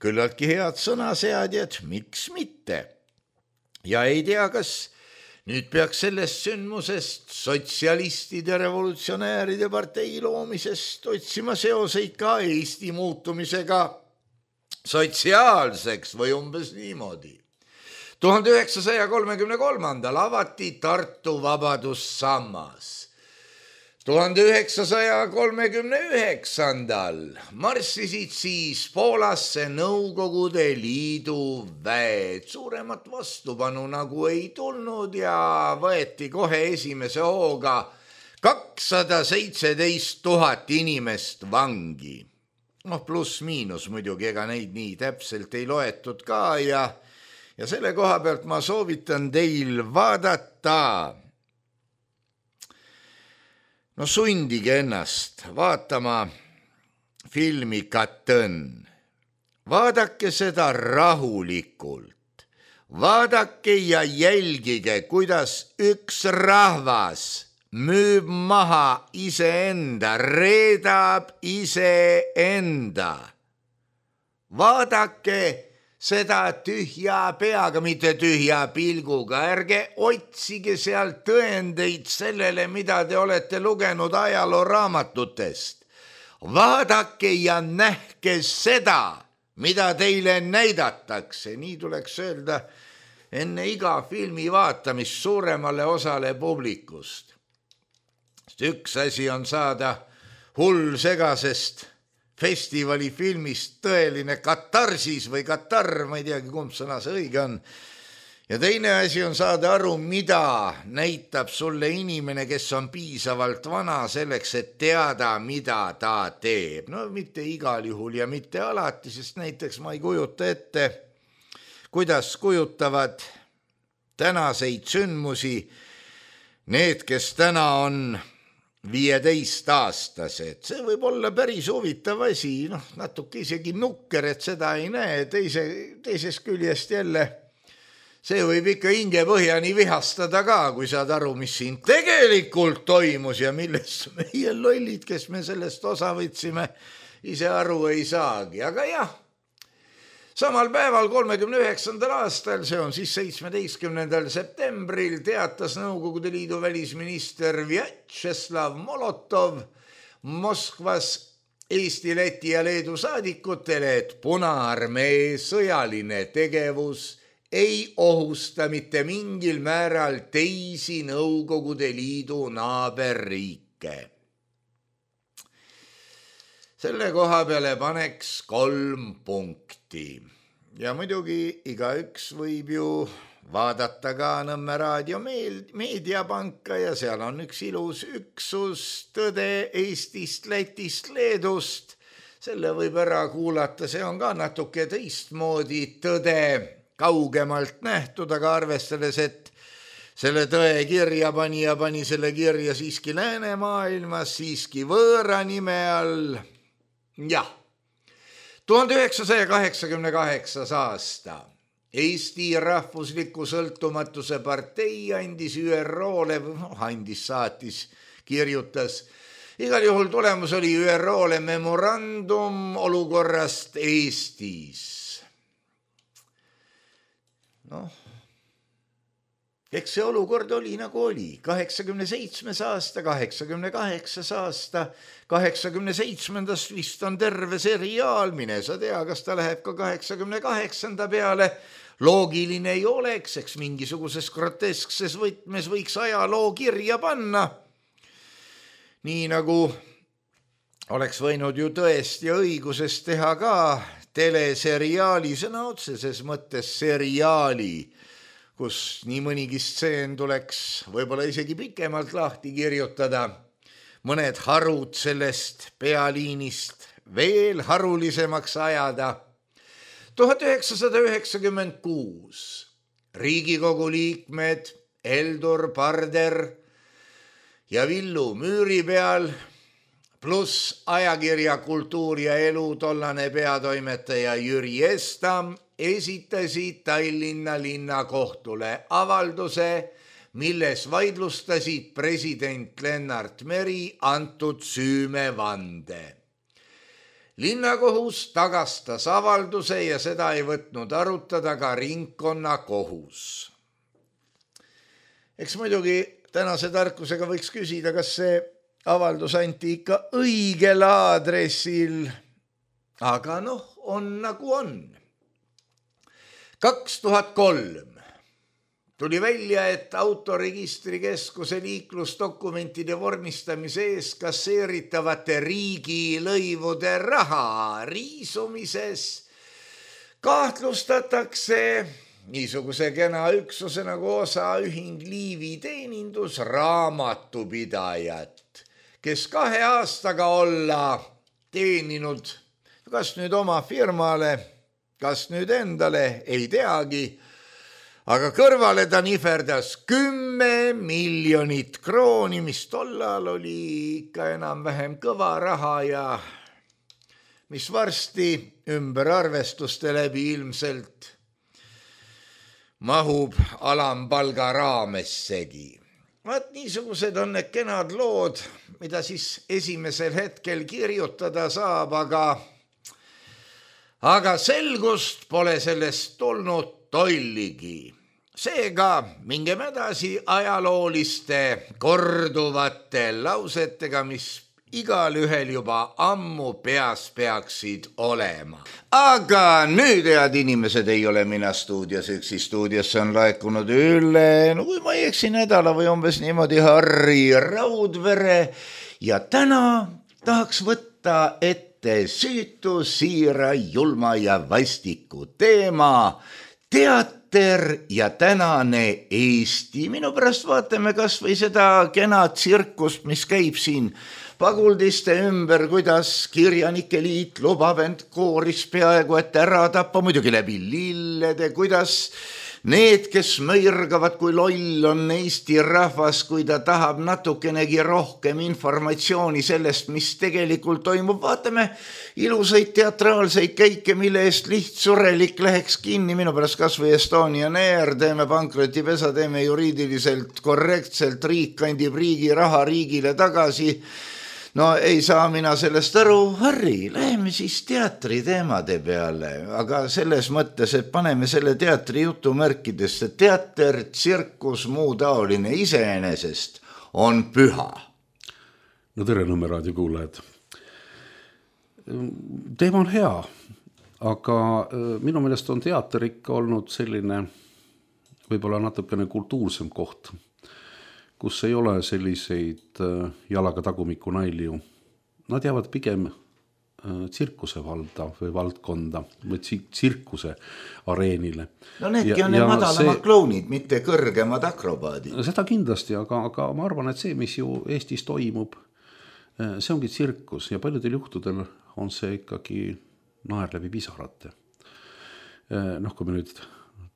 küllaltki head sõnaseadjad, miks mitte. Ja ei tea, kas nüüd peaks sellest sündmusest sotsialistide revolutsionääride partei loomisest otsima seoseid ka Eesti muutumisega sotsiaalseks või umbes niimoodi. tuhande üheksasaja kolmekümne kolmandal avati Tartu Vabadussammas. tuhande üheksasaja kolmekümne üheksandal marssisid siis Poolasse Nõukogude Liidu väed. Suuremat vastupanu nagu ei tulnud ja võeti kohe esimese hooga kakssada seitseteist tuhat inimest vangi. Noh, pluss miinus muidugi, ega neid nii täpselt ei loetud ka ja, ja selle koha pealt ma soovitan teil vaadata. No sundige ennast vaatama filmi Katõn. Vaadake seda rahulikult. Vaadake ja jälgige, kuidas üks rahvas müüb maha iseenda, reedab iseenda. Vaadake seda tühja peaga, mitte tühja pilguga. Ärge otsige seal tõendeid sellele, mida te olete lugenud ajalooraamatutest. Vaadake ja nähke seda, mida teile näidatakse. Nii tuleks öelda enne iga filmi vaatamist suuremale osale publikust. Üks asi on saada hull segasest festivali-filmist tõeline katarsis või katar, ma ei teagi, kumb sõna see õige on. Ja teine asi on saada aru, mida näitab sulle inimene, kes on piisavalt vana selleks, et teada, mida ta teeb. No mitte igal juhul ja mitte alati, sest näiteks ma ei kujuta ette, kuidas kujutavad tänaseid sündmusi need, kes täna on viieteist aastased. See võib olla päris huvitav asi, noh, natuke isegi nukker, et seda ei näe. Teise, teises küljest jälle, see võib ikka hinge põhjani vihastada ka, kui saad aru, mis siin tegelikult toimus ja millest meie lollid, kes me sellest osa võtsime, ise aru ei saagi. Aga jah, samal päeval kolmekümne üheksandal aastal, see on siis seitsmeteistkümnendal septembril, teatas Nõukogude Liidu välisminister Vjatšeslav Molotov Moskvas Eesti, Läti ja Leedu saadikutele, et Punaarmee sõjaline tegevus ei ohusta mitte mingil määral teisi Nõukogude Liidu naaberriike. Selle koha peale paneks kolm punkti. Ja muidugi igaüks võib ju vaadata ka Nõmme raadio meediapanka ja seal on üks ilus üksus tõde Eestist, Lätist, Leedust. Selle võib ära kuulata, see on ka natuke teistmoodi tõde kaugemalt nähtud, aga arvestades, et selle tõe kirja pani ja pani selle kirja siiski läänemaailmas, siiski võõra nime all. Jah, tuhande üheksasaja kaheksakümne kaheksas aasta Eesti Rahvusliku Sõltumatuse partei andis Ü R O-le, noh, andis, saatis, kirjutas. Igal juhul tulemus oli Ü R O-le memorandum olukorrast Eestis. Noh, eks see olukord oli nagu oli. kaheksakümne seitsmes aasta, kaheksakümne kaheksas aasta, kaheksakümne seitsmendast vist on terve seriaal, mine sa tea, kas ta läheb ka kaheksakümne kaheksanda peale. Loogiline ei oleks, eks mingisuguses groteskses võtmes võiks ajaloo kirja panna. Nii nagu oleks võinud ju tõesti ja õiguses teha ka teleseriaali, sõna otseses mõttes seriaali, kus nii mõnigi stseen tuleks võib-olla isegi pikemalt lahti kirjutada. Mõned harud sellest pealiinist veel harulisemaks ajada. tuhat üheksasada üheksakümmend kuus Riigikogu liikmed Heldur Parder ja Villu Müüripeal pluss ajakirja Kultuur ja elu tollane peatoimetaja Jüri Estam esitasid Tallinna linnakohtule avalduse, milles vaidlustasid president Lennart Meri antud süümevande. Linnakohus tagastas avalduse ja seda ei võtnud arutada ka ringkonnakohus. Eks muidugi tänase tarkusega võiks küsida, kas see avaldus anti ikka õigel aadressil, aga noh, on nagu on. kaks tuhat kolm tuli välja, et Autoregistrikeskuse liiklusdokumentide vormistamise eest kasseeritavate riigilõivude raha riisumises kahtlustatakse niisuguse kena üksuse nagu osaühing Liivi teenindus raamatupidajat, kes kahe aastaga olla teeninud kas nüüd oma firmale, kas nüüd endale, ei teagi, aga kõrvale ta niferdas kümme miljonit krooni, mis tollal oli ikka enam-vähem kõva raha ja mis varsti ümber arvestuste läbi ilmselt mahub alampalga raamessegi. Vaat niisugused on need kenad lood, mida siis esimesel hetkel kirjutada saab, aga aga selgust pole sellest tulnud tolligi. Seega mingem edasi ajalooliste korduvate lausetega, mis igal ühel juba ammu peas peaksid olema. Aga nüüd, head inimesed, ei ole mina stuudios, üksi stuudiosse on laekunud üle, no kui ma ei eksi, nädala või umbes niimoodi Harri Raudvere ja täna tahaks võtta ette süütu, siira, julma ja vastiku teema, teater ja tänane Eesti. Minu pärast vaatame kas või seda kena tsirkust, mis käib siin paguldiste ümber, kuidas Kirjanike Liit lubab end kooris peaaegu et ära tappa, muidugi läbi lillede, kuidas need, kes mõirgavad, kui loll on Eesti rahvas, kui ta tahab natukenegi rohkem informatsiooni sellest, mis tegelikult toimub. Vaatame ilusaid teatraalseid käike, mille eest lihtsurelik läheks kinni. Minu pärast kas või Estonian Air, teeme pankrotipesa, teeme juriidiliselt korrektselt, riik kandib riigi raha riigile tagasi. No ei saa mina sellest aru. Harri, läheme siis teatri teemade peale, aga selles mõttes, et paneme selle teatri jutumärkidesse. Teater, tsirkus, muu taoline iseenesest on püha. No tere, Nõmme raadio kuulajad. Teema on hea, aga minu meelest on teater ikka olnud selline võib-olla natukene kultuursem koht, kus ei ole selliseid jalaga tagumiku nalju. Nad jäävad pigem tsirkuse valda või valdkonda või tsirkuse areenile. No needki on need madalamad see, klounid, mitte kõrgemad akrobaadid. Seda kindlasti, aga, aga ma arvan, et see, mis ju Eestis toimub, see ongi tsirkus ja paljudel juhtudel on see ikkagi naer läbi pisarate. Noh, kui me nüüd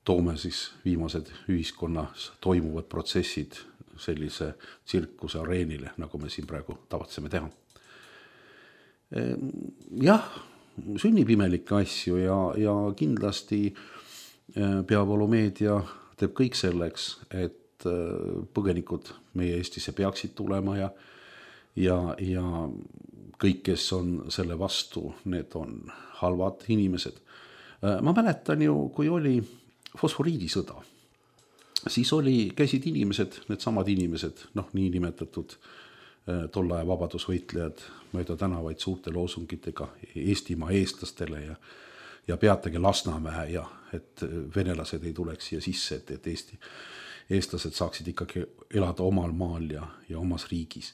toome siis viimased ühiskonnas toimuvad protsessid sellise tsirkuse areenile, nagu me siin praegu tavatseme teha. Jah, sünnib imelikke asju ja, ja kindlasti peavoolumeedia teeb kõik selleks, et põgenikud meie Eestisse peaksid tulema ja, ja, ja kõik, kes on selle vastu, need on halvad inimesed. Ma mäletan ju, kui oli fosforiidisõda. siis oli, käisid inimesed, need samad inimesed, noh, nii nimetatud tolle aja vabadusvõitlejad mööda tänavaid suurte loosungitega Eestimaa eestlastele ja, ja peatage Lasnamäe ja et venelased ei tuleks siia sisse, et, et Eesti, eestlased saaksid ikkagi elada omal maal ja, ja omas riigis.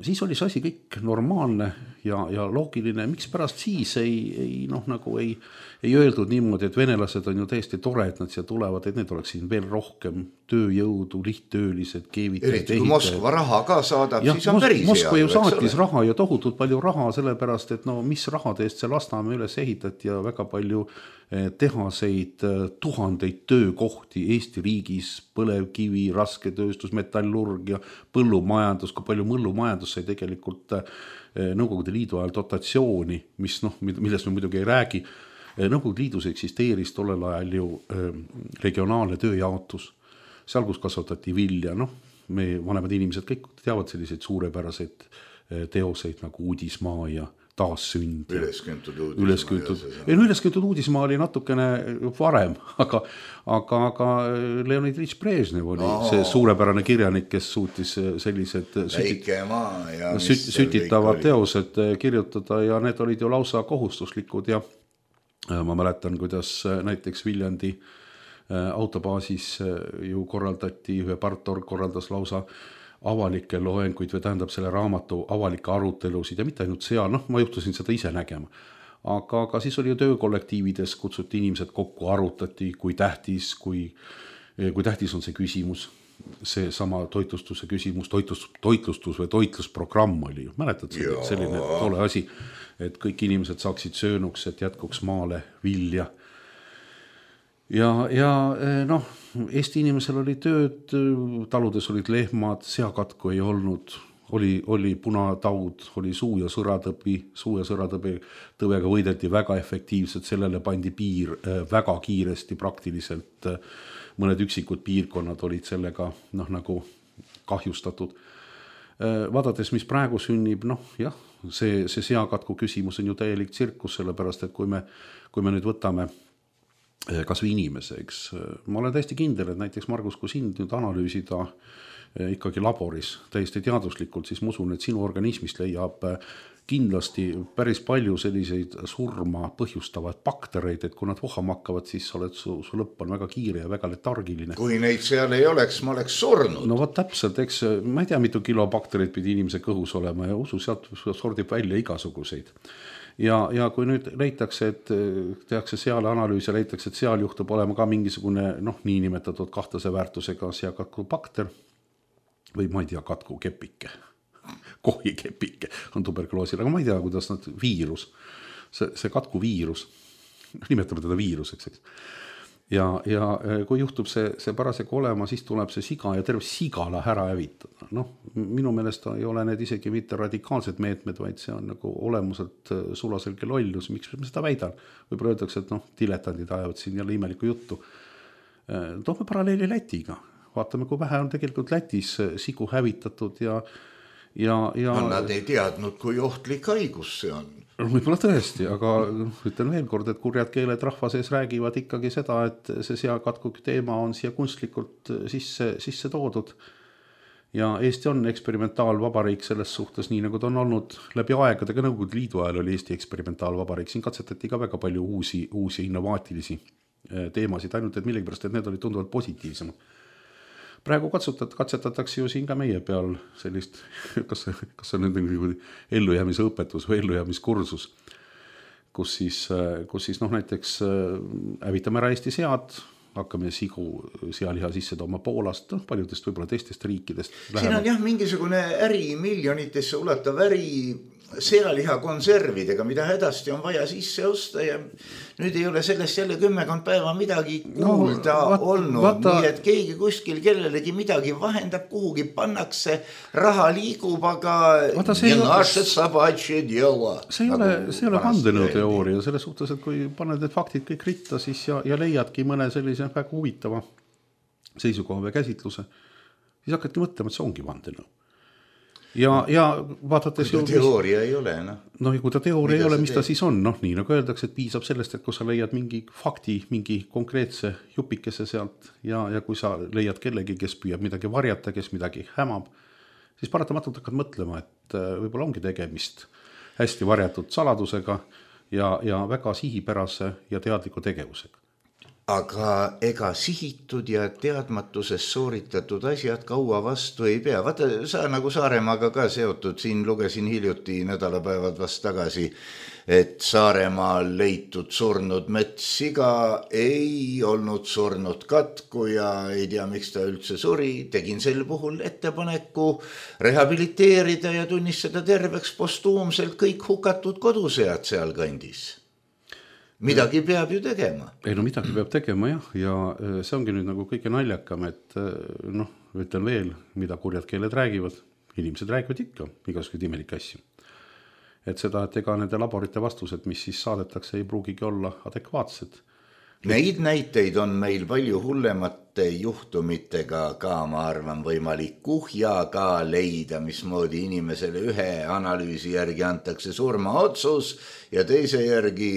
Siis oli see asi kõik normaalne ja, ja loogiline, miks pärast siis ei, ei, noh, nagu ei, ei öeldud niimoodi, et venelased on ju täiesti tore, et nad siia tulevad, et need oleks siin veel rohkem tööjõudu, lihttöölised, keevitajad, eriti kui Moskva raha ka saadab, ja, siis on päris Moskva ju saatis ole. raha ja tohutult palju raha, sellepärast, et no mis rahade eest see Lasnamäe üles ehitati ja väga palju tehaseid, tuhandeid töökohti Eesti riigis, põlevkivi, rasketööstus, metallurg ja põllumajandus, kui palju mõllumajandus sai tegelikult Nõukogude Liidu ajal dotatsiooni, mis noh, millest me muidugi ei räägi. Nõukogude Liidus eksisteeris tollel ajal ju regionaalne tööjaotus, seal kus kasvatati vilja, noh, me vanemad inimesed kõik teavad selliseid suurepäraseid teoseid nagu Uudismaa ja taassünd. Ülesküntud uudismaa. Ülesküntud, ei, no ülesküntud uudismaa oli natukene varem, aga, aga, aga Leonid Iljitš Brežnev oli no. see suurepärane kirjanik, kes suutis sellised sütit, ja süt, sütitavad teosed kirjutada ja need olid ju lausa kohustuslikud ja ma mäletan, kuidas näiteks Viljandi autobaasis ju korraldati, ühe partorg korraldas lausa avalikke loenguid või tähendab selle raamatu avalikke arutelusid ja mitte ainult seal, noh, ma juhtusin seda ise nägema. Aga, aga siis oli ju töökollektiivides, kutsuti inimesed kokku, arutati, kui tähtis, kui, kui tähtis on see küsimus, see sama toitlustuse küsimus, toitlus, toitlustus või toitlusprogramm oli ju, mäletad see, selline tole asi, et kõik inimesed saaksid söönuks, et jätkuks maale vilja. Ja, ja noh, Eesti inimesel oli tööd, taludes olid lehmad, seakatku ei olnud, oli, oli punataud, oli suu- ja sõratõbi, suu- ja sõratõbi tõvega võideldi väga efektiivselt, sellele pandi piir väga kiiresti, praktiliselt mõned üksikud piirkonnad olid sellega noh, nagu kahjustatud. Vaadates, mis praegu sünnib, noh jah, see, see seakatku küsimus on ju täielik tsirkus, sellepärast, et kui me, kui me nüüd võtame kas või inimese, eks. Ma olen täiesti kindel, et näiteks Margus, kui sind nüüd analüüsida ikkagi laboris täiesti teaduslikult, siis ma usun, et sinu organismist leiab kindlasti päris palju selliseid surma põhjustavaid baktereid, et kui nad vohama hakkavad, siis oled su, su lõpp on väga kiire ja väga letargiline. Kui neid seal ei oleks, ma oleks surnud. No võt täpselt, eks ma ei tea, mitu kilo baktereid pidi inimese kõhus olema ja usu, sealt sordib välja igasuguseid. Ja, ja kui nüüd leitakse, et tehakse seal analüüs ja leitakse, et seal juhtub olema ka mingisugune noh, niinimetatud kahtlase väärtusega seakatku bakter või ma ei tea, katku kepike, kohi kepike on tuberkuloosil, aga ma ei tea, kuidas nad viirus, see, see katku viirus, nimetame teda viiruseks, eks. Ja, ja kui juhtub see, see parasjagu olema, siis tuleb see siga ja terve sigala ära hävitada. Noh, minu meelest ei ole need isegi mitte radikaalsed meetmed, vaid see on nagu olemuselt sulaselge lollus. Miks me seda väidan? Võib-olla öeldakse, et noh, diletandid ajavad siin jälle imelikku juttu. Toome paralleeli Lätiga. Vaatame, kui vähe on tegelikult Lätis sigu hävitatud ja, ja, ja... No, nad ei teadnud, kui ohtlik haigus see on. Võib-olla tõesti, aga ütlen veel kord, et kurjad keeled rahva sees räägivad ikkagi seda, et see seakatku teema on siia kunstlikult sisse, sisse toodud. Ja Eesti on eksperimentaalvabariik selles suhtes, nii nagu ta on olnud läbi aegadega. Nõukogude Liidu ajal oli Eesti eksperimentaalvabariik. Siin katsetati ka väga palju uusi, uusi innovaatilisi teemasid, ainult et millegipärast, et need olid tunduvalt positiivsemad. Praegu katsutat, katsetatakse ju siin ka meie peal sellist, kas, kas on nüüd ellujäämise õpetus või ellujäämiskursus, kus siis, kus siis noh, näiteks hävitame ära Eesti sead, hakkame sigu sealiha sisse tooma Poolast, no, paljudest võib-olla teistest riikidest. Siin on jah mingisugune äri, miljonitesse ulatav äri sealiha konservidega, mida hädasti on vaja sisse osta ja nüüd ei ole sellest jälle kümmekond päeva midagi kuulda no, vaat, olnud, vaata, nii et keegi kuskil kellelegi midagi vahendab, kuhugi pannakse, raha liigub, aga vaata, see, ja ole, naše sabatše djela. See ei ole, see ole vandenõuteooria, selles suhtes, et kui paned need faktid kõik ritta siis ja, ja leiadki mõne sellise väga huvitava seisukoha või käsitluse, siis hakkadki mõtlema, et see ongi vandenõu. ja, ja vaadates kui ta teooria ei ole, noh. No ja kui ta teooria ei ole, mis ta siis on, noh nii nagu öeldakse, et piisab sellest, et kui sa leiad mingi fakti, mingi konkreetse jupikese sealt ja, ja kui sa leiad kellegi, kes püüab midagi varjata, kes midagi hämab, siis paratamatult hakkad mõtlema, et võib-olla ongi tegemist hästi varjatud saladusega ja, ja väga sihipärase ja teadliku tegevusega. Aga ega sihitud ja teadmatuses sooritatud asjad kaua vastu ei pea. Vaata, sa nagu Saaremaaga ka seotud, siin lugesin hiljuti nädalapäevad vast tagasi, et Saaremaal leitud surnud metssiga ei olnud surnud katku ja ei tea, miks ta üldse suri. Tegin sel puhul ettepaneku rehabiliteerida ja tunnistada terveks postuumselt kõik hukatud kodusead seal kandis. Midagi peab ju tegema. Ei no midagi peab tegema jah, ja see ongi nüüd nagu kõige naljakam, et noh, ütlen veel, mida kurjad keeled räägivad, inimesed räägivad ikka igasugused imelikke asju. Et seda, et ega nende laborite vastused, mis siis saadetakse, ei pruugigi olla adekvaatsed. Neid näiteid on meil palju hullemate juhtumitega ka, ma arvan, võimalik kuhja ka leida, mismoodi inimesele ühe analüüsi järgi antakse surmaotsus ja teise järgi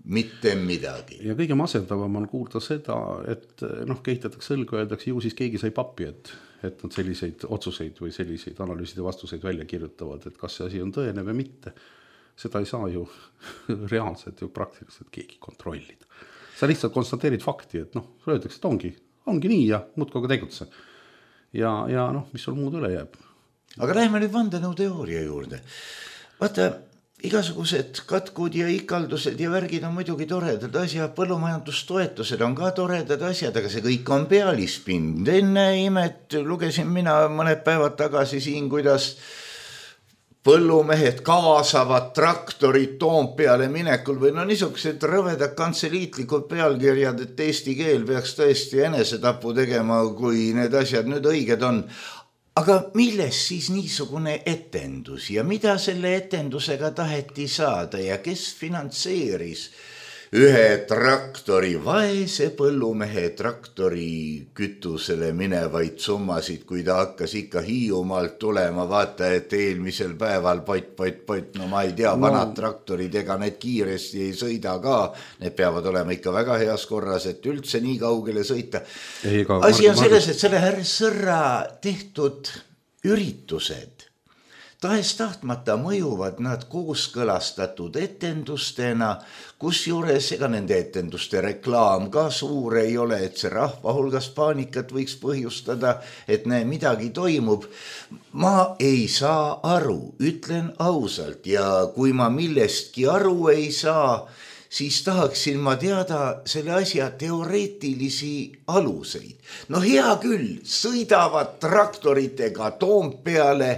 mitte midagi. Ja kõige masendavam on kuulda seda, et noh, kehitatakse õlgu, öeldakse, ju siis keegi sai pappi, et, et nad selliseid otsuseid või selliseid analüüside vastuseid välja kirjutavad, et kas see asi on tõene või mitte. Seda ei saa ju reaalselt ju praktiliselt keegi kontrollida. Sa lihtsalt konstateerid fakti, et noh, öeldakse, et ongi, ongi nii ja muudkogu tegutse. Ja, ja noh, mis sul muud üle jääb. Aga läheme nüüd vandenõu teooria juurde. Vaata, igasugused katkud ja ikaldused ja värgid on muidugi toredad asjad, põllumajandustoetused on ka toredad asjad, aga see kõik on pealispind. Enne imet lugesin mina mõned päevad tagasi siin, kuidas põllumehed kaasavad traktorid Toompeale minekul või no niisugused rõvedad kantseliitlikud pealkirjad, et eesti keel peaks tõesti enesetapu tegema, kui need asjad nüüd õiged on. Aga milles siis niisugune etendus ja mida selle etendusega taheti saada ja kes finantseeris ühe traktori, vaese põllumehe traktori kütusele minevaid summasid, kui ta hakkas ikka Hiiumaalt tulema, vaata, et eelmisel päeval pot, pot, pot, no ma ei tea, vanad no. traktorid, ega need kiiresti ei sõida ka, need peavad olema ikka väga heas korras, et üldse nii kaugele sõita. Ei, ega, asi on selles, et selle härra Sõrra tehtud üritused, tahes tahtmata mõjuvad nad kooskõlastatud etendustena, kus juures ega nende etenduste reklaam ka suur ei ole, et see rahva hulgas paanikat võiks põhjustada, et näe, midagi toimub. Ma ei saa aru, ütlen ausalt, ja kui ma millestki aru ei saa, siis tahaksin ma teada selle asja teoreetilisi aluseid. No hea küll, sõidavad traktoritega Toompeale,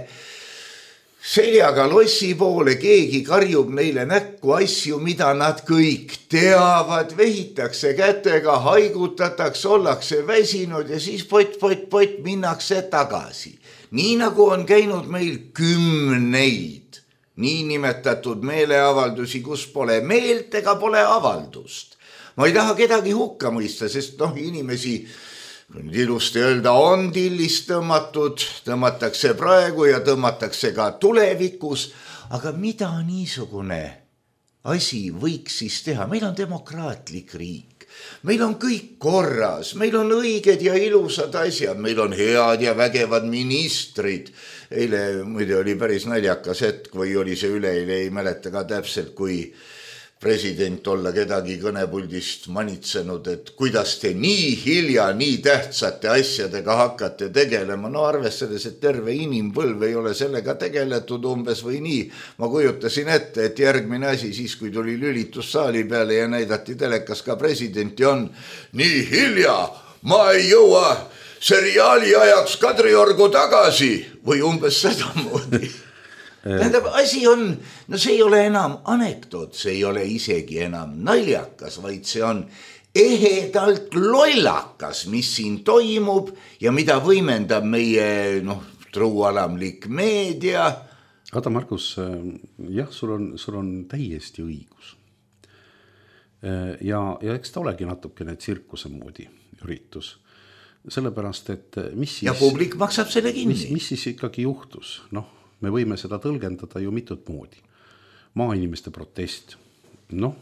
seljaga lossi poole, keegi karjub neile näkku asju, mida nad kõik teavad, vehitakse kätega, haigutatakse, ollakse väsinud ja siis pot, pot, pot, minnakse tagasi. Nii nagu on käinud meil kümneid niinimetatud meeleavaldusi, kus pole meelt ega pole avaldust. Ma ei taha kedagi hukka mõista, sest noh, inimesi nüüd ilusti öelda, on tillist tõmmatud, tõmmatakse praegu ja tõmmatakse ka tulevikus, aga mida niisugune asi võiks siis teha? Meil on demokraatlik riik, meil on kõik korras, meil on õiged ja ilusad asjad, meil on head ja vägevad ministrid. Eile muide oli päris naljakas hetk või oli see üleeile, ei mäleta ka täpselt, kui president olla kedagi kõnepuldist manitsenud, et kuidas te nii hilja nii tähtsate asjadega hakkate tegelema. No arvestades, et terve inimpõlv ei ole sellega tegeletud umbes või nii. Ma kujutasin ette, et järgmine asi siis, kui tuli lülitus saali peale ja näidati telekas ka presidenti, on nii hilja, ma ei jõua seriaali ajaks Kadriorgu tagasi või umbes seda moodi. Tähendab, asi on, no see ei ole enam anekdoot, see ei ole isegi enam naljakas, vaid see on ehedalt lollakas, mis siin toimub ja mida võimendab meie noh, truualamlik meedia. Aga Markus, jah, sul on, sul on täiesti õigus. Ja, ja eks ta olegi natukene tsirkuse moodi üritus. Sellepärast, et mis siis... Ja publik maksab selle kinni. Mis, mis siis ikkagi juhtus? Noh, me võime seda tõlgendada ju mitut moodi. Maainimeste protest, noh,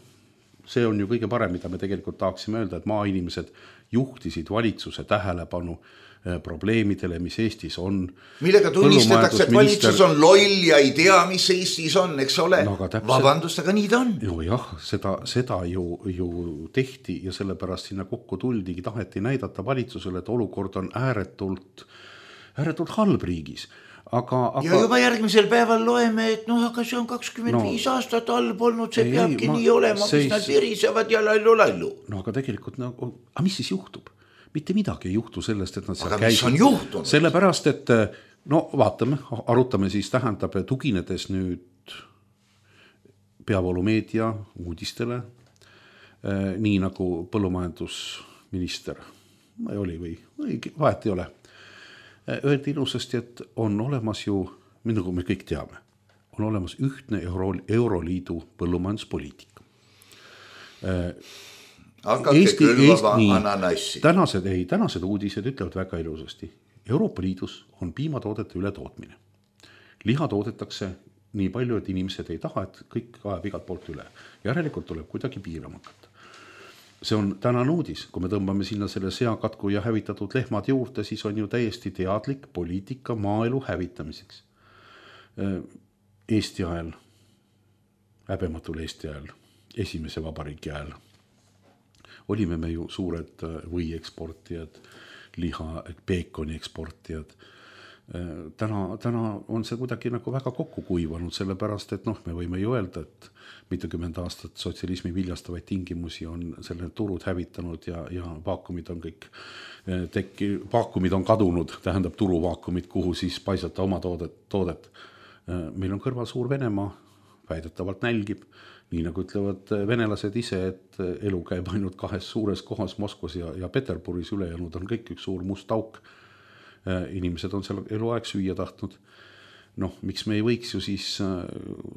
see on ju kõige parem, mida me tegelikult tahaksime öelda, et maainimesed juhtisid valitsuse tähelepanu probleemidele, mis Eestis on. Millega tunnistatakse, et valitsus on loll ja ei tea, mis Eestis on, eks ole. No, aga täpselt, vabandust, aga nii ta on. No jah, seda, seda ju, ju tehti ja sellepärast sinna kokku tuldigi, taheti näidata valitsusele, et olukord on ääretult, ääretult halb riigis. Aga, aga... Ja juba järgmisel päeval loeme, et noh, aga see on kakskümmend viis no, aastat halb olnud, see ei, peabki ei, ma, nii olema, mis nad virisevad ja lallu-lallu. No aga tegelikult, no, aga mis siis juhtub? Mitte midagi ei juhtu sellest, et nad seal käisid. Aga mis on juhtunud? Sellepärast, et no vaatame, arutame siis, tähendab tuginedes nüüd peavoolumeedia uudistele, nii nagu põllumajandusminister oli või, või vahet ei ole. Öeldi ilusasti, et on olemas ju, nagu me kõik teame, on olemas ühtne Euro, Euroliidu põllumajanduspoliitika. Hakake Eesti, külvava Eesti, ananassi. Tänased, ei, tänased uudised ütlevad väga ilusasti. Euroopa Liidus on piimatoodete üle tootmine. Liha toodetakse nii palju, et inimesed ei taha, et kõik ajab igalt poolt üle. Järelikult tuleb kuidagi piirama hakata. See on tänane uudis. Kui me tõmbame sinna selle seakatku ja hävitatud lehmad juurde, siis on ju täiesti teadlik poliitika maaelu hävitamiseks. Eesti ajal, häbematul Eesti ajal, esimese vabariigi ajal, olime me ju suured või eksportijad, liha, peekoni eksportijad. Täna, täna on see kuidagi nagu väga kokku kuivanud, sellepärast, et noh, me võime ju öelda, et mitukümmend aastat sotsialismi viljastavaid tingimusi on selle turud hävitanud ja, ja vaakumid on kõik tekki, vaakumid on kadunud, tähendab turuvaakumid, kuhu siis paisata oma toodet, toodet. Meil on kõrval suur Venemaa, väidetavalt nälgib, nii nagu ütlevad venelased ise, et elu käib ainult kahes suures kohas Moskvas ja, ja Peterburis, ülejäänud on kõik üks suur must auk. Inimesed on seal eluaeg süüa tahtnud. Noh, miks me ei võiks ju siis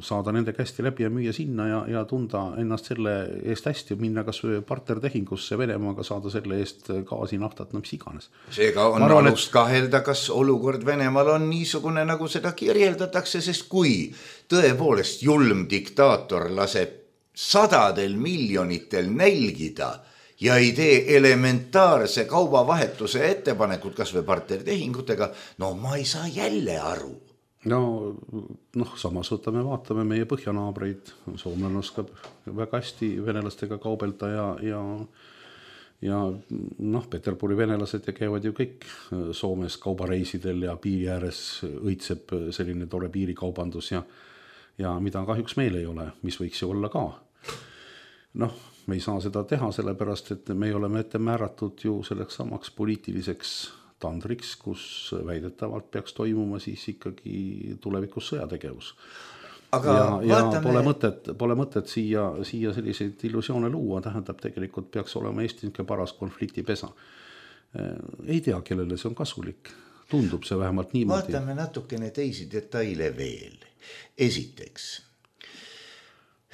saada nende kästi läbi ja müüa sinna ja, ja tunda ennast selle eest hästi ja minna kas partnertehingusse Venemaaga, saada selle eest gaasi, naftat, no mis iganes. Seega on arvan, alust kahelda, kas olukord Venemaal on niisugune, nagu seda kirjeldatakse, sest kui tõepoolest julm diktaator laseb sadadel miljonitel nälgida ja ei tee elementaarse kaubavahetuse ettepanekut kas või partnertehingutega, no ma ei saa jälle aru. No, noh, samas võtame, vaatame meie põhjanaabreid, soomlane oskab väga hästi venelastega kaubelda ja, ja, ja noh, Peterburi venelased ja käivad ju kõik Soomes kaubareisidel ja piiri ääres õitseb selline tore piirikaubandus ja, ja mida kahjuks meil ei ole, mis võiks ju olla ka. Noh, me ei saa seda teha, sellepärast, et me oleme ette määratud ju selleks samaks poliitiliseks tandriks, kus väidetavalt peaks toimuma siis ikkagi tulevikus sõjategevus. Aga ja, ja vaatame... pole mõtet, pole mõtet siia, siia selliseid illusioone luua, tähendab tegelikult peaks olema Eesti paras konfliktipesa. Ei tea, kellele see on kasulik. Tundub see vähemalt niimoodi. Vaatame natukene teisi detaile veel. Esiteks,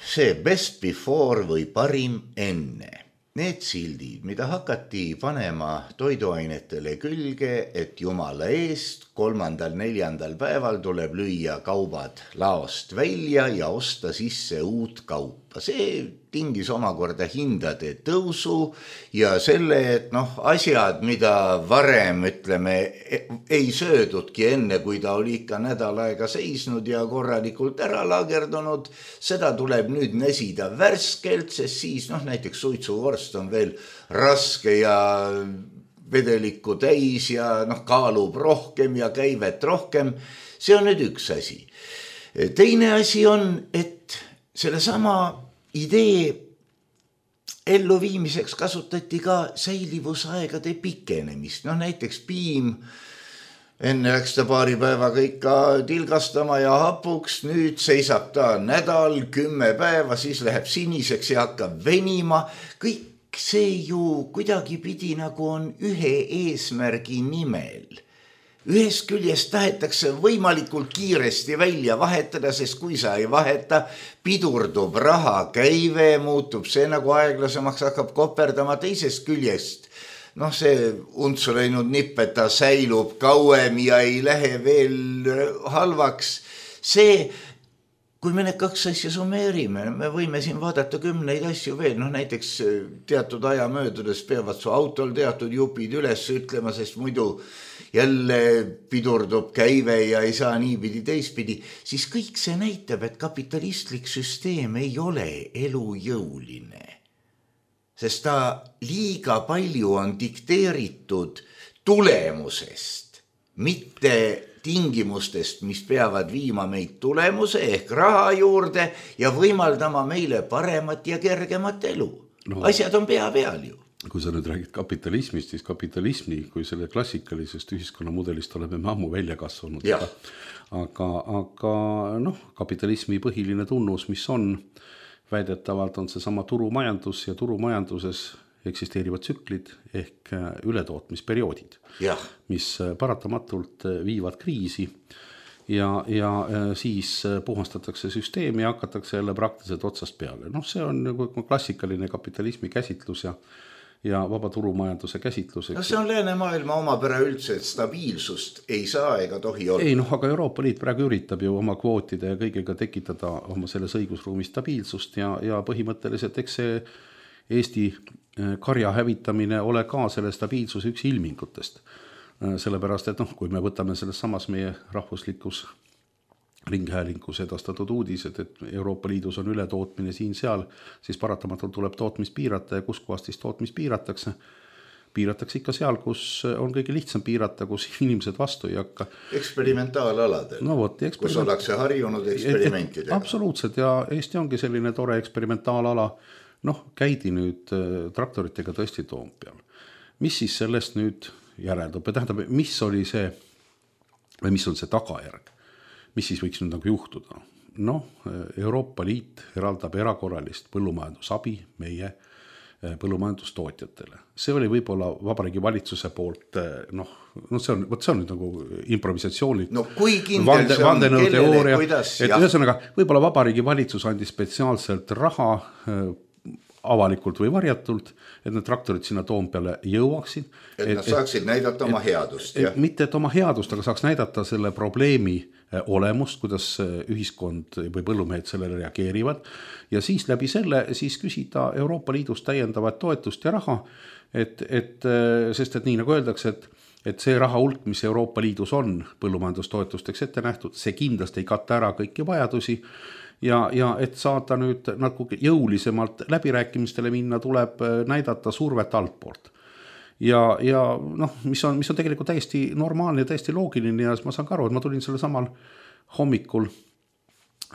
see best before või parim enne. Need sildid, mida hakati panema toiduainetele külge, et jumala eest kolmandal, neljandal päeval tuleb lüüa kaubad laost välja ja osta sisse uut kaupa. See tingis omakorda hindade tõusu ja selle, et noh, asjad, mida varem, ütleme, ei söödudki enne, kui ta oli ikka nädal aega seisnud ja korralikult ära lagerdunud, seda tuleb nüüd nesida värskelt, sest siis noh, näiteks suitsuvorst on veel raske ja vedelikku täis ja noh, kaalub rohkem ja käivet rohkem. See on nüüd üks asi. Teine asi on, et selle sama idee elluviimiseks kasutati ka säilivusaegade pikenemist. No näiteks piim, enne läks ta paari päevaga ikka tilgastama ja hapuks, nüüd seisab ta nädal, kümme päeva, siis läheb siniseks ja hakkab venima. Kõik see ju kuidagi pidi nagu on ühe eesmärgi nimel. Ühest küljest tahetakse võimalikult kiiresti välja vahetada, sest kui sa ei vaheta, pidurdub raha käive, muutub see nagu aeglasemaks, hakkab koperdama. Teisest küljest noh, see untsu läinud nipp, et ta säilub kauem ja ei lähe veel halvaks. See, kui me need kaks asja summeerime, me võime siin vaadata kümneid asju veel, noh näiteks teatud aja möödudes peavad su autol teatud jupid üles ütlema, sest muidu jälle pidurdub käive ja ei saa niipidi teistpidi, siis kõik see näitab, et kapitalistlik süsteem ei ole elujõuline. Sest ta liiga palju on dikteeritud tulemusest, mitte tingimustest, mis peavad viima meid tulemuse ehk raha juurde ja võimaldama meile paremat ja kergemat elu. No, asjad on pea peal ju. Kui sa nüüd räägid kapitalismist, siis kapitalismi kui selle klassikalisest ühiskonnamudelist oleme me ammu välja kasvanud. Aga, aga, aga noh, kapitalismi põhiline tunnus, mis on väidetavalt on see sama turumajandus ja turumajanduses eksisteerivad tsüklid ehk ületootmisperioodid, ja. mis paratamatult viivad kriisi ja, ja siis puhastatakse süsteemi ja hakatakse jälle praktiliselt otsast peale. Noh, see on nagu klassikaline kapitalismi käsitlus ja ja vaba turumajanduse käsitlus. No see on läänemaailma omapära üldse, et stabiilsust ei saa ega tohi olla. Ei, noh, aga Euroopa Liit praegu üritab ju oma kvootide ja kõigega tekitada oma selles õigusruumi stabiilsust ja, ja põhimõtteliselt eks see Eesti karja hävitamine ole ka selle stabiilsuse üks ilmingutest. Sellepärast, et noh, kui me võtame selles samas meie rahvuslikus ringhäälingus edastatud uudised, et Euroopa Liidus on ületootmine siin-seal, siis paratamatult tuleb tootmist piirata ja kus kohast siis tootmist piiratakse. Piiratakse ikka seal, kus on kõige lihtsam piirata, kus inimesed vastu ei hakka. Eksperimentaalaladel, no, võt, eksperiment... kus ollakse harjunud eksperimentidega. Absoluutselt ja Eesti ongi selline tore eksperimentaalala. Noh, käidi nüüd traktoritega tõesti Toompeal. Mis siis sellest nüüd järeldub? Tähendab, mis oli see, või mis on see tagajärg? Mis siis võiks nüüd nagu juhtuda? Noh, Euroopa Liit eraldab erakorralist põllumajandusabi meie põllumajandustootjatele. See oli võib-olla Vabariigi valitsuse poolt, noh, no see on, võt see on nüüd nagu improvisatsioonid. No kui kindel see on, kellele, kuidas? Et ühesõnaga, võib-olla Vabariigi valitsus andis spetsiaalselt raha avalikult või varjatult, et need traktorid sinna Toompeale jõuaksid. Et nad saaksid et, näidata oma headust. Et, mitte et oma headust, aga saaks näidata selle probleemi olemust, kuidas ühiskond või põllumehed sellele reageerivad. Ja siis läbi selle siis küsida Euroopa Liidust täiendavat toetust ja raha, et, et, sest et nii nagu öeldakse, et et see raha hulk, mis Euroopa Liidus on põllumajandustoetusteks ette nähtud, see kindlasti ei katta ära kõiki vajadusi. Ja, ja et saada nüüd nagu jõulisemalt läbirääkimistele minna, tuleb näidata survet altpoolt. Ja, ja noh, mis on, mis on tegelikult täiesti normaalne ja täiesti loogiline ja ma saan ka aru, et ma tulin selle samal hommikul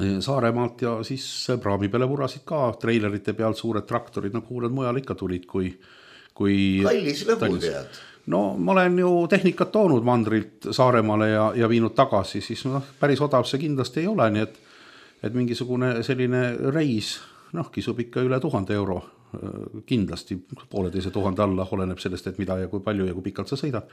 Saaremaalt ja siis praami peale vurasid ka treilerite peal suured traktorid, nagu kuuled mujal ikka tulid, kui, kui kallis lõbu tead. No ma olen ju tehnikat toonud mandrilt Saaremaale ja, ja viinud tagasi, siis noh, päris odav see kindlasti ei ole, nii et et mingisugune selline reis, noh, kisub ikka üle tuhande euro, kindlasti pooleteise tuhande alla, oleneb sellest, et mida ja kui palju ja kui pikalt sa sõidad.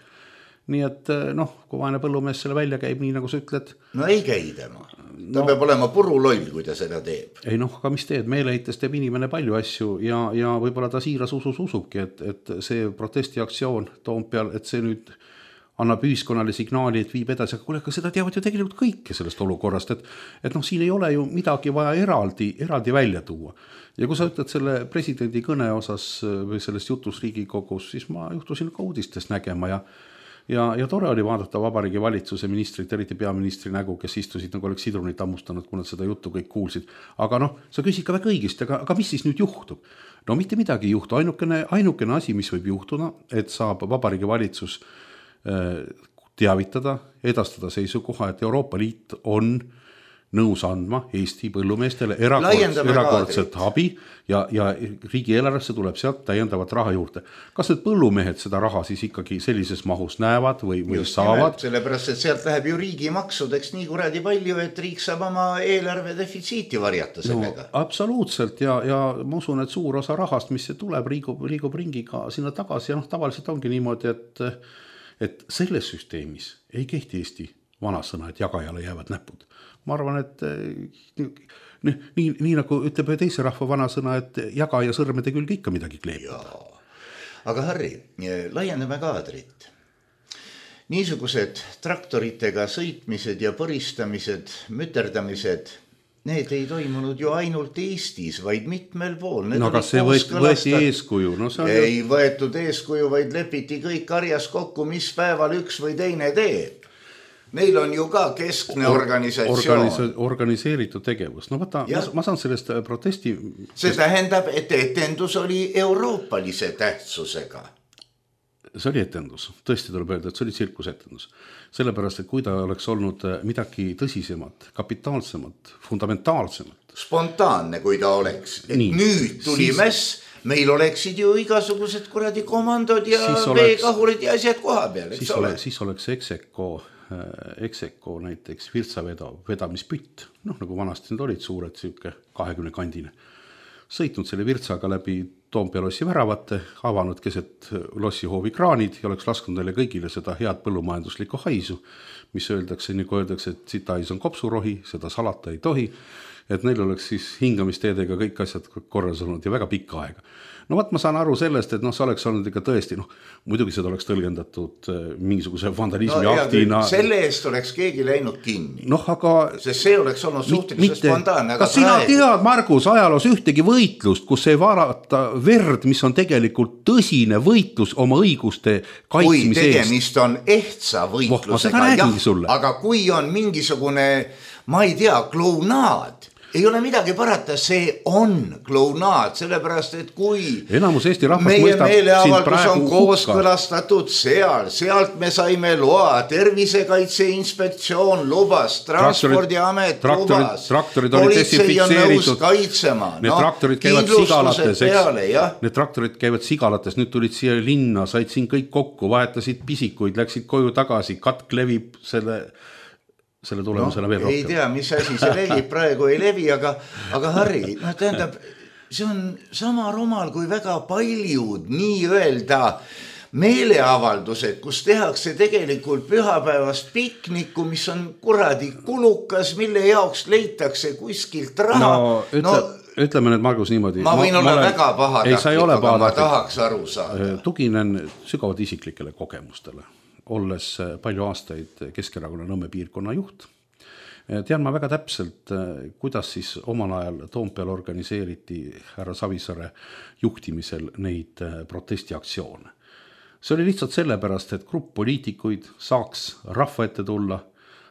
Nii et noh, kui vaene põllumees selle välja käib, nii nagu sa ütled. No ei käi tema, ta no, peab olema puruloll, kui ta seda teeb. Ei noh, aga mis teed, meeleites teeb inimene palju asju ja, ja võib-olla ta siiras usus usubki, et, et see protestiaktsioon Toompeal, et see nüüd annab ühiskonnale signaali, et viib edasi, aga kuule, aga seda teavad ju tegelikult kõike sellest olukorrast, et, et noh, siin ei ole ju midagi vaja eraldi, eraldi välja tuua. Ja kui sa ütled selle presidendi kõne osas või sellest jutus Riigikogus, siis ma juhtusin ka uudistest nägema ja, ja, ja tore oli vaadata Vabariigi valitsuse ministrit, eriti peaministri nägu, kes istusid nagu oleks sidrunit ammustanud, kui nad seda juttu kõik kuulsid. Aga noh, sa küsid ka väga õigesti, aga, aga mis siis nüüd juhtub? No mitte midagi ei juhtu, ainukene, ainukene asi, mis võib juhtuda, et saab Vabariigi valitsus teavitada, edastada seisukoha, et Euroopa Liit on nõus andma Eesti põllumeestele erakordselt, erakordselt abi ja, ja riigieelarvesse tuleb sealt täiendavat raha juurde. Kas need põllumehed seda raha siis ikkagi sellises mahus näevad või, või just saavad? Nimelt, sellepärast, et sealt läheb ju riigi maksudeks nii kuradi palju, et riik saab oma eelarve defitsiiti varjata sellega. No, absoluutselt ja, ja ma usun, et suur osa rahast, mis see tuleb, liigub, liigub ringiga sinna tagasi ja noh, tavaliselt ongi niimoodi, et et selles süsteemis ei kehti Eesti vanasõna, et jagajale jäävad näpud. Ma arvan, et nii, nii, nii nagu ütleb teise rahva vanasõna, et jaga ja sõrmede külge ikka midagi kleeb. aga Harri, laiendame kaadrit. Niisugused traktoritega sõitmised ja põristamised, müterdamised, need ei toimunud ju ainult Eestis, vaid mitmel pool. Need no kas see võeti, võeti eeskuju? No, see ei ju... võetud eeskuju, vaid lepiti kõik karjas kokku, mis päeval üks või teine teeb. Neil on ju ka keskne organisatsioon. Organise, organiseeritud tegevus. No vaata, ma, ma saan sellest protesti... See tähendab, et etendus oli euroopalise tähtsusega. See oli etendus. Tõesti tuleb öelda, et see oli tsirkusetendus. Sellepärast, et kui ta oleks olnud midagi tõsisemat, kapitaalsemat, fundamentaalsemat. Spontaanne, kui ta oleks. Et nii, nüüd tuli siis... mess, meil oleksid ju igasugused kuradi komandod ja veekahurid ja asjad koha peal. Siis, ole, siis oleks Execo... Execo näiteks Virtsa vedamispütt, noh nagu vanasti need olid suured siuke kahekümne kandine, sõitnud selle Virtsaga läbi Toompea lossi väravate, avanud keset lossihoovi kraanid ja oleks lasknud neile kõigile seda head põllumajanduslikku haisu, mis öeldakse, nagu öeldakse, et sita hais on kopsurohi, seda salata ei tohi, et neil oleks siis hingamisteedega kõik asjad korras olnud ja väga pikka aega. No vaat ma saan aru sellest, et noh, see oleks olnud ikka tõesti, noh, muidugi seda oleks tõlgendatud mingisuguse vandalismi no, aktina. Selle eest oleks keegi läinud kinni. Noh, aga... Sest see oleks olnud suhteliselt spontaanne. Kas sina praegu... tead, Margus, ajaloos ühtegi võitlust, kus ei varata verd, mis on tegelikult tõsine võitlus oma õiguste kaitsmise eest? Kui tegemist on ehtsa võitlusega, jah, aga kui on mingisugune, ma ei tea, klounaad, ei ole midagi parata, see on klounaad, sellepärast, et kui enamus Eesti rahvast meie meeleavaldus on hukka. Kooskõlastatud seal, sealt me saime loa, Tervisekaitse Inspektsioon lubas, Transpordiamet traktorid, lubas, traktorid politsei on nõus kaitsema. Need no, traktorid käivad sigalates, peale, need traktorid käivad sigalates, nüüd tulid siia linna, said siin kõik kokku, vahetasid pisikuid, läksid koju tagasi, katk levib selle... selle tulemusena no, veel rohkem. Ei tea, mis asi see levib, praegu ei levi, aga, aga Harri, no tähendab, see on sama rumal kui väga paljud nii-öelda meeleavaldused, kus tehakse tegelikult pühapäevast pikniku, mis on kuradi kulukas, mille jaoks leitakse kuskilt raha. No, ütle, no, ütleme nüüd, Margus, niimoodi. Ma võin ma, olla ma olen, väga pahatahtlik, aga ma tahaks aru saada. Tuginen sügavalt isiklikele kogemustele. Olles palju aastaid Keskerakonna Nõmme piirkonna juht, tean ma väga täpselt, kuidas siis omal ajal Toompeal organiseeriti härra Savisaare juhtimisel neid protestiaktsioone. See oli lihtsalt sellepärast, et grupp poliitikuid saaks rahva ette tulla,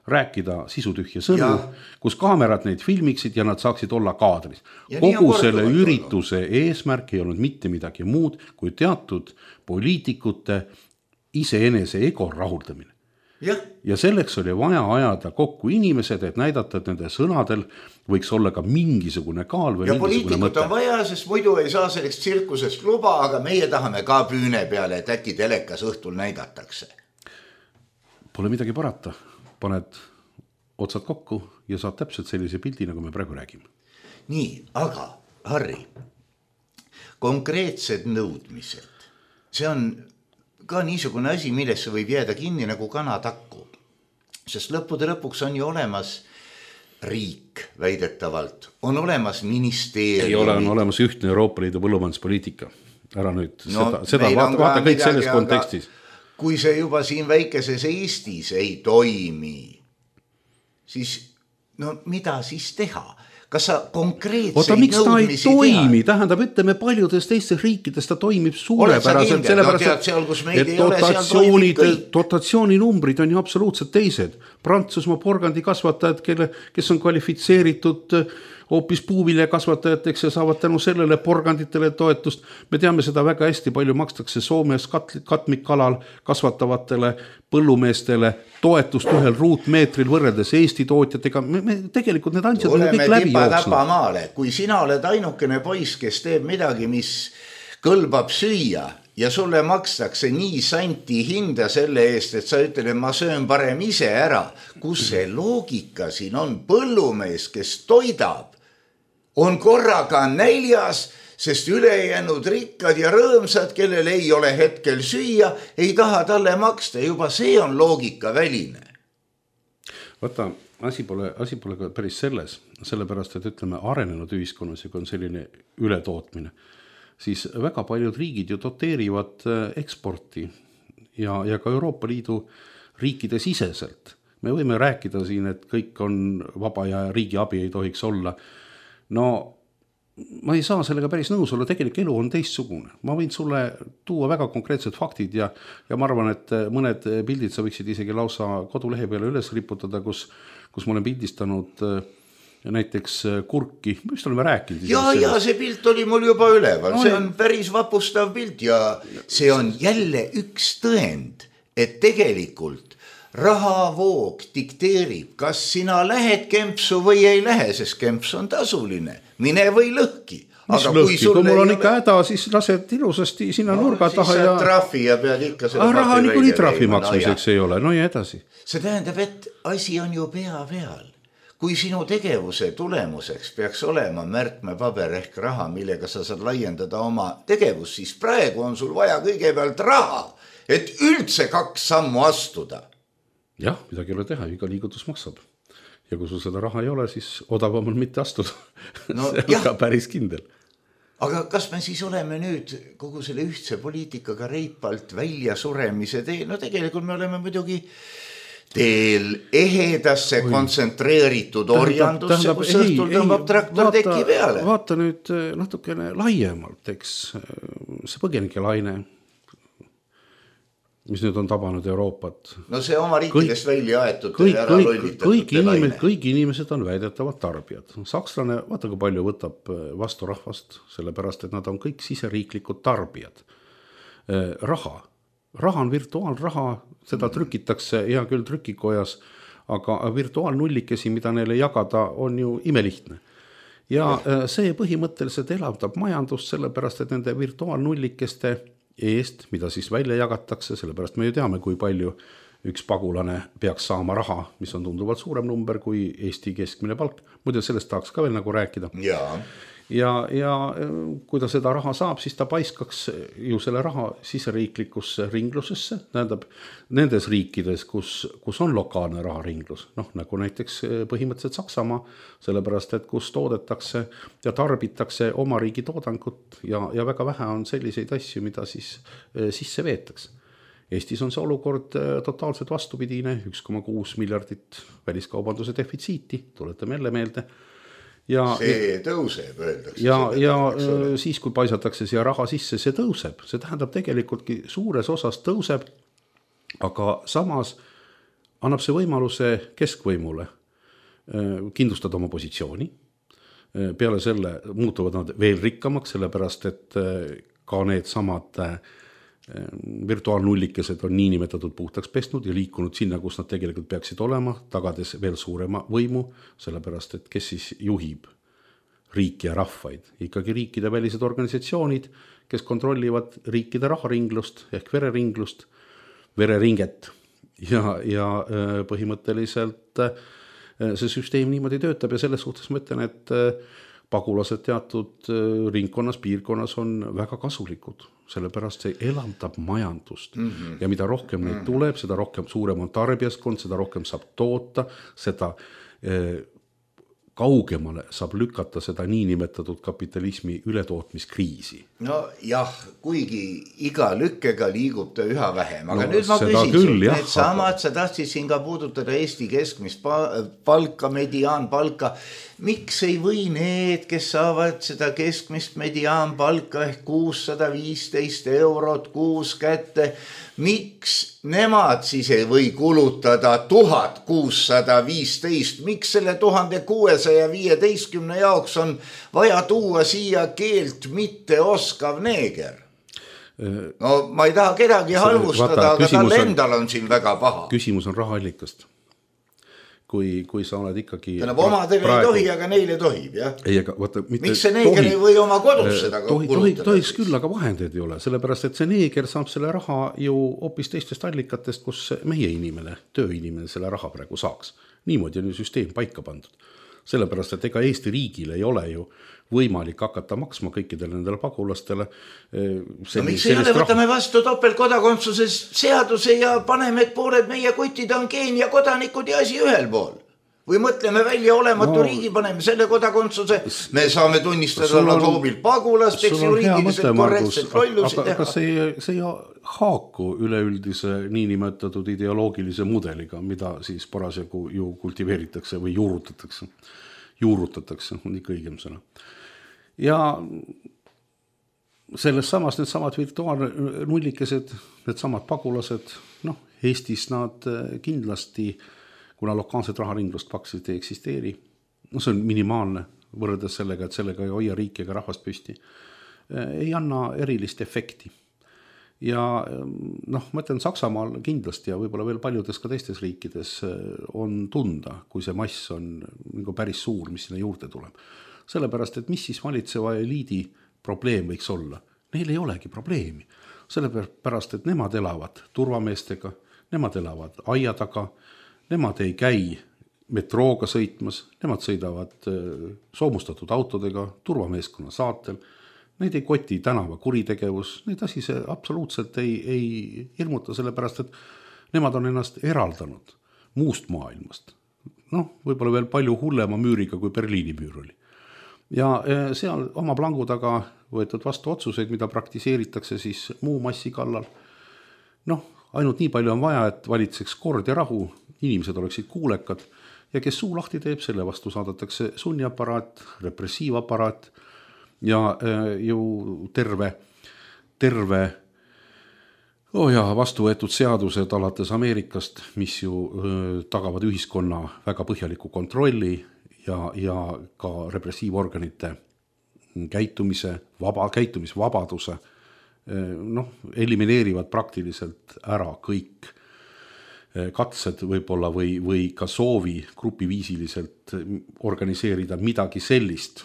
rääkida sisutühja sõnu, ja. Kus kaamerad neid filmiksid ja nad saaksid olla kaadris. Ja kogu selle ürituse olnud. Eesmärk ei olnud mitte midagi muud, kui teatud poliitikute iseenese ego rahuldamine. Ja. ja selleks oli vaja ajada kokku inimesed, et näidata, et nende sõnadel võiks olla ka mingisugune kaal või ja mingisugune mõte. Ja poliitikut on vaja, sest muidu ei saa selleks tsirkusest luba, aga meie tahame ka püüne peale, et äkki telekas õhtul näidatakse. Pole midagi parata. Paned otsad kokku ja saad täpselt sellise pildi, nagu me praegu räägime. Nii, aga Harri, konkreetsed nõudmised, see on ka niisugune asi, millesse võib jääda kinni nagu kanatakku. Sest lõppude lõpuks on ju olemas riik väidetavalt, on olemas ministeerium. Ei ole, on olemas ühtne Euroopa Liidu põllumajanduspoliitika. Ära nüüd no, seda, seda vaata, vaata kõik midagi, selles kontekstis. Kui see juba siin väikeses Eestis ei toimi, siis no mida siis teha? Kas sa konkreetseid Oota, miks ta ei toimi? Teha? Tähendab, ütleme, paljudes teistes riikides ta toimib suurepäraselt, sellepärast, no, et dotatsioonid, dotatsiooninumbrid on ju absoluutselt teised. Prantsusmaa porgandi kasvatajad, kelle, kes on kvalifitseeritud hoopis puuvilja kasvatajateks ja saavad tänu sellele porganditele toetust. Me teame seda väga hästi, palju makstakse Soomes kat- katmikkalal kasvatavatele põllumeestele toetust ühel ruutmeetril võrreldes Eesti tootjatega. Me, me tegelikult need ansjad on kõik läbi jooksnud. Kui sina oled ainukene poiss, kes teeb midagi, mis kõlbab süüa ja sulle makstakse nii santi hinda selle eest, et sa ütled, et ma söön parem ise ära. Kus see loogika siin on? Põllumees, kes toidab, on korraga näljas, sest ülejäänud rikkad ja rõõmsad, kellel ei ole hetkel süüa, ei taha talle maksta. Juba see on loogika väline. Vaata, asi pole, asi pole ka päris selles, sellepärast, et ütleme, arenenud ühiskonnas, kui on selline ületootmine. siis väga paljud riigid ju doteerivad eksporti ja, ja ka Euroopa Liidu riikide siseselt. Me võime rääkida siin, et kõik on vaba ja riigi abi ei tohiks olla. No ma ei saa sellega päris nõus olla, tegelik elu on teistsugune. Ma võin sulle tuua väga konkreetsed faktid ja, ja ma arvan, et mõned pildid sa võiksid isegi lausa kodulehe peale üles riputada, kus, kus ma olen pildistanud näiteks kurki, mis oleme rääkinud. Ja, ja see pilt oli mul juba üleval, no, see on päris vapustav pilt ja see on jälle üks tõend, et tegelikult rahavoog dikteerib, kas sina lähed kempsu või ei lähe, sest kemps on tasuline. Mine või lõhki. Mis aga lõhki? Kui, kui mul on ikka häda, siis lased ilusasti sinna no, nurga taha ja... Trahvi ja pead ikka seda... Raha niikuinii trahvi maksmiseks no, ei ole, no ja edasi. See tähendab, et asi on ju pea peal. Kui sinu tegevuse tulemuseks peaks olema märkmepaber ehk raha, millega sa saad laiendada oma tegevus, siis praegu on sul vaja kõigepealt raha, et üldse kaks sammu astuda. Jah, midagi ei ole teha, iga liigutus maksab. Ja kui sul seda raha ei ole, siis odavam on mitte astuda. No, see on jah. Ka päris kindel. Aga kas me siis oleme nüüd kogu selle ühtse poliitikaga reipalt välja suremise teel? No tegelikult me oleme muidugi teel ehedasse Oi. kontsentreeritud orjandusse, tähendab, kus õhtul tõmbab traktor vaata, teki peale. Vaata nüüd natukene laiemalt, eks see põgenike laine, mis nüüd on tabanud Euroopat. No see oma riikidest kõik, välja aetud kõik, ära lollitatud. Kõik, inimesed, kõik inimesed on väidetavad tarbijad. Sakslane, vaata kui palju võtab vastu rahvast, sellepärast, et nad on kõik siseriiklikud tarbijad. Raha. Raha on virtuaalraha, seda trükitakse hea küll trükikojas, aga virtuaalnullikesi, mida neile jagada, on ju imelihtne. Ja see põhimõtteliselt elavdab majandust, sellepärast, et nende virtuaalnullikeste eest, mida siis välja jagatakse, sellepärast me ju teame, kui palju üks pagulane peaks saama raha, mis on tunduvalt suurem number kui Eesti keskmine palk. Muidu sellest tahaks ka veel nagu rääkida. Ja, ja, ja kui ta seda raha saab, siis ta paiskaks ju selle raha siseriiklikusse ringlusesse, tähendab nendes riikides, kus, kus on lokaalne raharinglus, noh nagu näiteks põhimõtteliselt Saksamaa, sellepärast, et kus toodetakse ja tarbitakse oma riigi toodangut ja, ja väga vähe on selliseid asju, mida siis sisse veetakse. Eestis on see olukord totaalselt vastupidine, üks koma kuus miljardit väliskaubanduse defitsiiti, tuletame jälle meelde. Ja, see tõuseb, öeldakse. Ja, ja siis, kui paisatakse siia raha sisse, see tõuseb. See tähendab tegelikult suures osas tõuseb, aga samas annab see võimaluse keskvõimule kindlustada oma positsiooni. Peale selle muutuvad nad veel rikkamaks, sellepärast, et ka need samad virtuaalnullikesed on niinimetatud puhtaks pesnud ja liikunud sinna, kus nad tegelikult peaksid olema, tagades veel suurema võimu, sellepärast, et kes siis juhib riiki ja rahvaid. Ikkagi riikide välised organisatsioonid, kes kontrollivad riikide raharinglust ehk vereringlust, vereringet ja, ja põhimõtteliselt see süsteem niimoodi töötab ja selles suhtes ma ütlen, et pagulased teatud ringkonnas, piirkonnas on väga kasulikud, sellepärast see elavdab majandust. Mm-hmm. Ja mida rohkem neid tuleb, seda rohkem suurem on tarbijaskond, seda rohkem saab toota, seda eh, kaugemale saab lükata seda niinimetatud kapitalismi ületootmiskriisi. No jah, kuigi iga lükkega liigub ta üha vähem, aga no, nüüd ma küsin küll, sul, jah, need samad, sa tahtsid siin ka puudutada Eesti keskmist palka, mediaanpalka. Miks ei või need, kes saavad seda keskmist mediaanpalka ehk kuussada viisteist eurot kuus kätte, miks nemad siis ei või kulutada tuhat kuussada viisteist, miks selle tuhande kuuesaja viieteistkümne jaoks on vaja tuua siia keelt mitte oskav neeger? No ma ei taha kedagi halvustada, aga tal endal on siin väga paha. Küsimus on rahaallikast. Kui, kui sa oled ikkagi... Tähendab, omadel praegu... ei tohi, aga neile tohib, jah? Ei, aga vaata... Mitte... Miks see neeger tohi... ei või oma kodus seda tohi, kulutada? Tohi, tohiks küll, aga vahendeid ei ole, sellepärast, et see neeger saab selle raha ju hoopis teistest allikatest, kus meie inimene, tööinimene selle raha praegu saaks. Niimoodi on ju süsteem paika pandud. Sellepärast, et ega Eesti riigil ei ole ju võimalik hakata maksma kõikidele nendele pagulastele. No miks ei ole, võtame vastu topeltkodakondsuses seaduse ja paneme, et pooled meie kutid on Keenia kodanikud ja asi ühel pool. või mõtleme välja olematu no, riigi, paneme selle kodakondsuse, me saame tunnistada nagu hoobil pagulast, eks juriidiliselt korrektselt lollusi teha. Kas see, see ei haaku üleüldise niinimetatud ideoloogilise mudeliga, mida siis parasjagu ju kultiveeritakse või juurutatakse, juurutatakse, on ikka õigem sõna. Ja selles samas need samad virtuaalnullikesed, need samad pagulased, noh, Eestis nad kindlasti, kuna lokaalset raharinglust paksid ei eksisteeri, no see on minimaalne võrreldes sellega, et sellega ei hoia riiki ega rahvast püsti, ei anna erilist efekti. Ja noh, ma ütlen, Saksamaal kindlasti ja võib-olla veel paljudes ka teistes riikides on tunda, kui see mass on nagu päris suur, mis sinna juurde tuleb. Sellepärast, et mis siis valitseva eliidi probleem võiks olla? Neil ei olegi probleemi. Sellepärast, et nemad elavad turvameestega, nemad elavad aia taga, nemad ei käi metrooga sõitmas, nemad sõidavad soomustatud autodega, turvameeskonna saatel, neid ei koti tänava kuritegevus, neid asi see absoluutselt ei, ei hirmuta, sellepärast, et nemad on ennast eraldanud muust maailmast. Noh, võib-olla veel palju hullema müüriga, kui Berliini müür oli. Ja seal oma plangu taga võetud vastu otsuseid, mida praktiseeritakse siis muu massi kallal. Noh, ainult nii palju on vaja, et valitseks kord ja rahu, inimesed oleksid kuulekad ja kes suu lahti teeb, selle vastu saadatakse sunniaparaat, repressiivaparaat ja ju terve, terve oh ja, vastu võetud seadused alates Ameerikast, mis ju tagavad ühiskonna väga põhjaliku kontrolli ja, ja ka repressiivorganite käitumise, vaba, käitumisvabaduse, noh, elimineerivad praktiliselt ära kõik katsed võib-olla või, või ka soovi grupiviisiliselt organiseerida midagi sellist,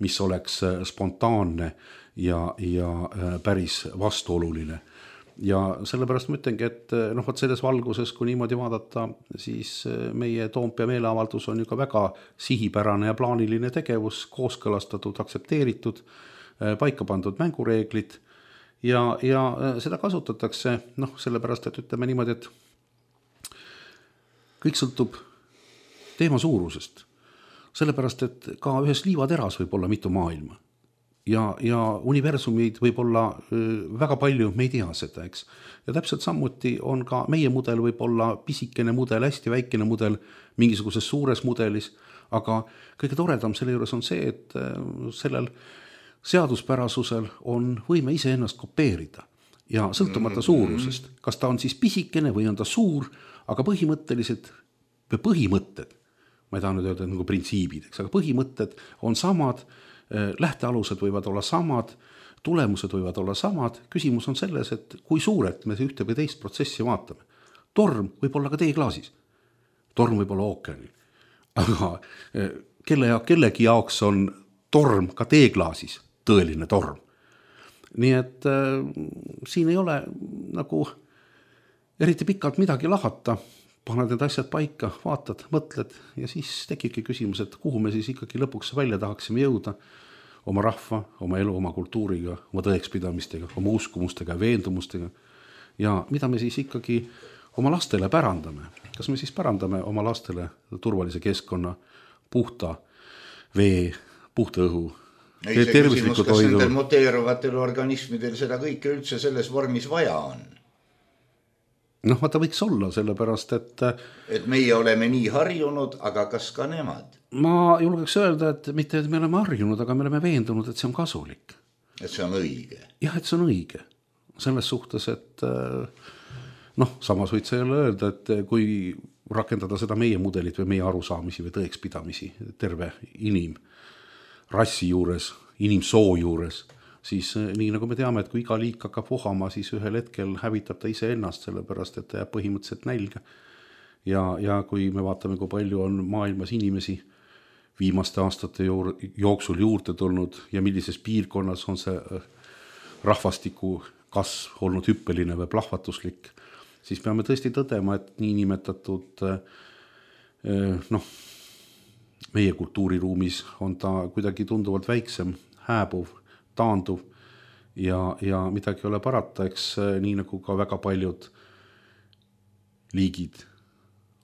mis oleks spontaanne ja, ja päris vastuoluline. Ja sellepärast ma ütlengi, et noh, et selles valguses, kui niimoodi vaadata, siis meie Toompea meeleavaldus on ju ka väga sihipärane ja plaaniline tegevus, kooskõlastatud, aksepteeritud, paika pandud mängureeglid ja, ja seda kasutatakse, noh, sellepärast, et ütleme niimoodi, et kõik sõltub teema suurusest. Sellepärast, et ka ühes liivateras võib olla mitu maailma. Ja, ja universumid võib olla väga palju, me ei tea seda, eks. Ja täpselt samuti on ka meie mudel võib olla pisikene mudel, hästi väikene mudel mingisuguses suures mudelis, aga kõige toredam selle juures on see, et sellel seaduspärasusel on võime ise ennast kopeerida ja sõltumata suurusest. Kas ta on siis pisikene või on ta suur, aga põhimõtteliselt või põhimõtted, ma ei taha nüüd öelda nagu printsiibid, eks, aga põhimõtted on samad, lähtealused võivad olla samad, tulemused võivad olla samad, küsimus on selles, et kui suurelt me ühte või teist protsessi vaatame. Torm võib olla ka teeklaasis, torm võib olla ookeanil, aga kelle ja kellegi jaoks on torm ka teeklaasis tõeline torm. Nii et äh, siin ei ole nagu eriti pikalt midagi lahata, paned need asjad paika, vaatad, mõtled ja siis tekibki küsimus, et kuhu me siis ikkagi lõpuks välja tahaksime jõuda oma rahva, oma elu, oma kultuuriga, oma tõekspidamistega, oma uskumustega, veendumustega ja mida me siis ikkagi oma lastele pärandame. Kas me siis pärandame oma lastele turvalise keskkonna, puhta vee, puhta õhu, ei, see küsimus, kas toidu. Nendel muteeruvatel organismidel seda kõike üldse selles vormis vaja on? Noh, vaata võiks olla, sellepärast, et et meie oleme nii harjunud, aga kas ka nemad? Ma julgeks öelda, et mitte et me oleme harjunud, aga me oleme veendunud, et see on kasulik. Et see on õige? Jah, et see on õige. Selles suhtes, et noh, samas võid sa jälle öelda, et kui rakendada seda meie mudelit või meie arusaamisi või tõekspidamisi terve inim rassi juures, inimsoo juures, siis nii nagu me teame, et kui iga liik hakkab vohama, siis ühel hetkel hävitab ta ise ennast, sellepärast, et ta jääb põhimõtteliselt nälga. Ja, ja kui me vaatame, kui palju on maailmas inimesi viimaste aastate jooksul juurde tulnud ja millises piirkonnas on see rahvastiku kasv olnud hüppeline või plahvatuslik, siis peame tõesti tõdema, et niinimetatud noh, meie kultuuriruumis on ta kuidagi tunduvalt väiksem, hääbuv, taanduv ja, ja midagi ei ole parata, eks nii nagu ka väga paljud liigid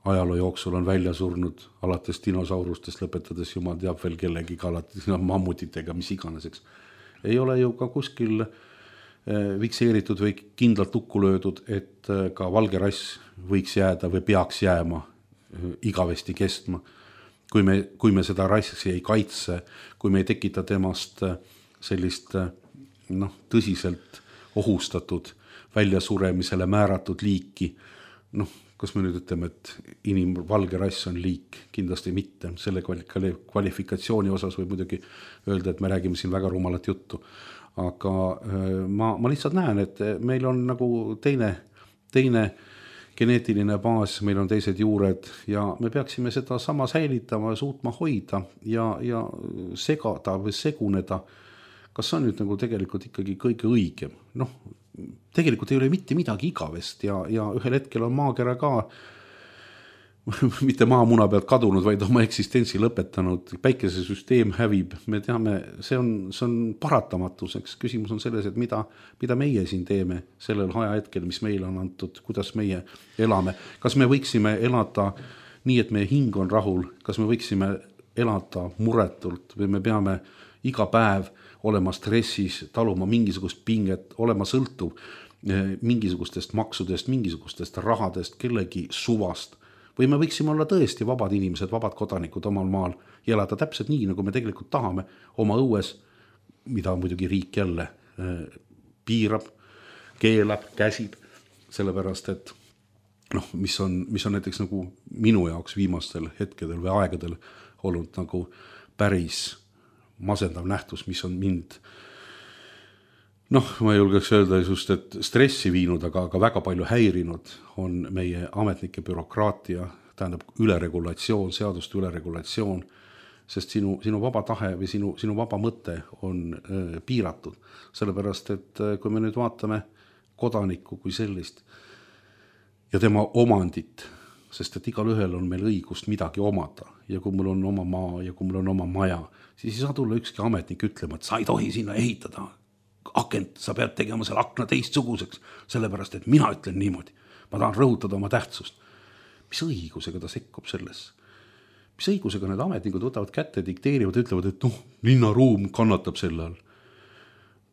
ajaloo jooksul on välja surnud alates dinosaurustest, lõpetades jumal teab veel kellegi alates mammutitega, mis iganeseks. Ei ole ju ka kuskil fikseeritud või kindlalt tukku löödud, et ka valge rass võiks jääda või peaks jääma igavesti kestma. Kui me, kui me seda rassi ei kaitse, kui me ei tekita temast sellist noh, tõsiselt ohustatud, väljasuremisele määratud liiki, noh, kas me nüüd ütleme, et inim valge rass on liik? Kindlasti mitte. Selle kvalifikatsiooni osas võib muidugi öelda, et me räägime siin väga rumalat juttu. Aga ma, ma lihtsalt näen, et meil on nagu teine, teine geneetiline baas, meil on teised juured ja me peaksime seda sama säilitama ja suutma hoida ja, ja segada või seguneda. Kas see on nüüd nagu tegelikult ikkagi kõige õigem? Noh, tegelikult ei ole mitte midagi igavest ja, ja ühel hetkel on maakera ka mitte maamuna pealt kadunud, vaid oma eksistentsi lõpetanud, päikesesüsteem hävib, me teame, see on, see on paratamatuseks, küsimus on selles, et mida, mida meie siin teeme sellel ajahetkel, mis meile on antud, kuidas meie elame, kas me võiksime elada nii, et meie hing on rahul, kas me võiksime elada muretult või me peame iga päev olema stressis, taluma mingisugust pinget, olema sõltuv mingisugustest maksudest, mingisugustest rahadest, kellegi suvast. Või me võiksime olla tõesti vabad inimesed, vabad kodanikud omal maal ja elada täpselt nii, nagu me tegelikult tahame oma õues, mida muidugi riik jälle piirab, keelab, käsib, sellepärast, et noh, mis on, mis on näiteks nagu minu jaoks viimastel hetkedel või aegadel olnud nagu päris masendav nähtus, mis on mind noh, ma julgeks öelda just, et stressi viinud, aga, aga väga palju häirinud on meie ametnike bürokraatia, tähendab üleregulatsioon, seaduste üleregulatsioon, sest sinu, sinu vaba tahe või sinu, sinu vaba mõte on äh, piiratud. Sellepärast, et äh, kui me nüüd vaatame kodanikku kui sellist ja tema omandit, sest et igal ühel on meil õigust midagi omada ja kui mul on oma maa ja kui mul on oma maja, siis ei saa tulla ükski ametnik ütlema, et sa ei tohi sinna ehitada akent, sa pead tegema selle akna teistsuguseks, sellepärast, et mina ütlen niimoodi. Ma tahan rõhutada oma tähtsust. Mis õigusega ta sekkub selles? Mis õigusega need ametnikud võtavad kätte, dikteerivad, ütlevad, et noh, linnaruum kannatab selle all.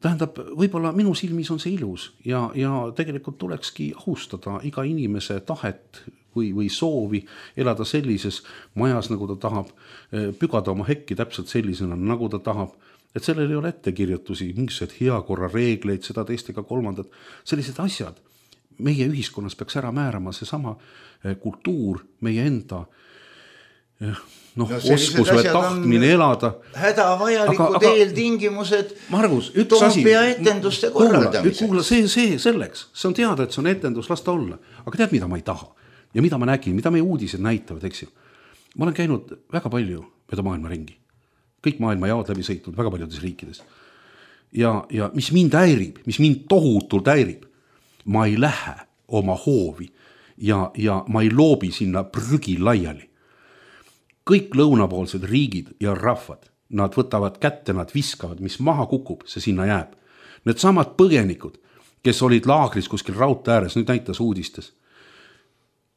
Tähendab, võib-olla minu silmis on see ilus ja, ja tegelikult tulekski austada iga inimese tahet või, või soovi elada sellises majas, nagu ta tahab, pügada oma hekki täpselt sellisena, nagu ta tahab. Et sellel ei ole ettekirjutusi, mingisugused heakorra reegleid, seda teistega kolmandat, sellised asjad. Meie ühiskonnas peaks ära määrama see sama kultuur, meie enda noh, no, oskus või tahtmine elada. Hädavajalikud aga, aga, eeltingimused Margus, üks asi. Toompea etenduste korraldamiseks. Kuula, see, see selleks, see on teada, et see on etendus, las ta olla. Aga tead, mida ma ei taha? Ja mida ma nägin, mida meie uudised näitavad, eks ju? Ma olen käinud väga palju mööda maailma ringi. Kõik maailma jaod läbi sõitnud väga paljudes riikides. Ja, ja mis mind häirib, mis mind tohutult häirib, ma ei lähe oma hoovi ja, ja ma ei loobi sinna prügi laiali. Kõik lõunapoolsed riigid ja rahvad, nad võtavad kätte, nad viskavad, mis maha kukub, see sinna jääb. Need samad põgenikud, kes olid laagris kuskil raudtee ääres, nüüd näitas uudistes.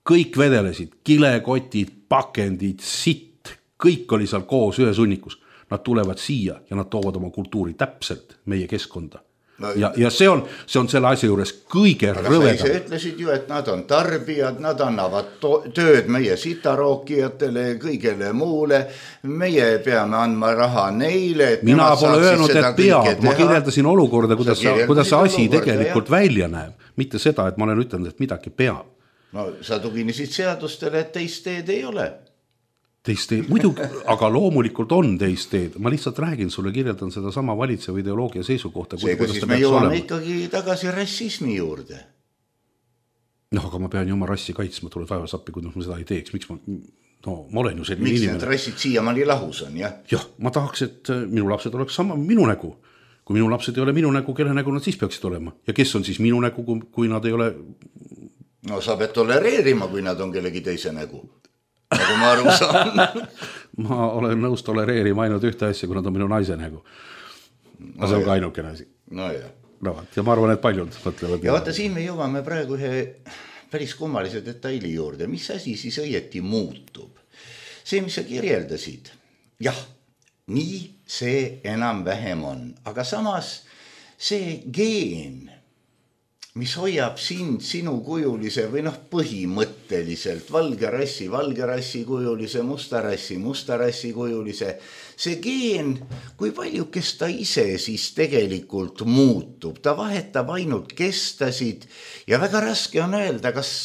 Kõik vedelesid, kilekotid, pakendid, sitt, kõik oli seal koos ühe sunnikus. Nad tulevad siia ja nad toovad oma kultuuri täpselt meie keskkonda. No, ja, ja see on, see on selle asja juures kõige rõvedam. Sa ütlesid ju, et nad on tarbijad, nad annavad to- tööd meie sitarookijatele, kõigele muule. Meie peame andma raha neile. Et mina pole öelnud, et peab. Ma kirjeldasin olukorda, kuidas, sa, kuidas see asi olukorda, tegelikult jah. Välja näeb. Mitte seda, et ma olen ütelnud, et midagi peab. No sa tuginesid seadustele, et teist teed ei ole. Teist teed, muidugi, aga loomulikult on teist teed. Ma lihtsalt räägin sulle, kirjeldan seda sama valitseva ideoloogia seisukohta. Seega siis me jõuame olema. Ikkagi tagasi rassismi juurde. noh, aga ma pean ju oma rassi kaitsma, tule taevas appi, kui ma seda ei teeks. Miks ma, no, ma olen ju selline miks inimene. Miks need rassid siiamaani lahus on, jah? Jah, ma tahaks, et minu lapsed oleks sama minu nägu. Kui minu lapsed ei ole minu nägu, kelle nägu nad siis peaksid olema? Ja kes on siis minu nägu, kui nad ei ole... No sa pead tolereerima, kui nad on kellegi teise nägu. Nagu ma aru saan. Ma olen nõus tolereerima ainult ühte asja, kui nad on minu naise nägu. Aga no see on ka ainukene asi. No jah. No, ja ma arvan, et paljud mõtlevad. Ja vaata, siin me jõuame praegu ühe päris kummalise detaili juurde, mis asi siis õieti muutub. See, mis sa kirjeldasid, jah, nii see enam-vähem on, aga samas see geen, mis hoiab sind sinu kujulise või noh põhimõtteliselt valge rassi, valge rassi kujulise, musta rassi, musta rassi kujulise, see geen, kui palju kes ta ise siis tegelikult muutub, ta vahetab ainult kestasid ja väga raske on öelda, kas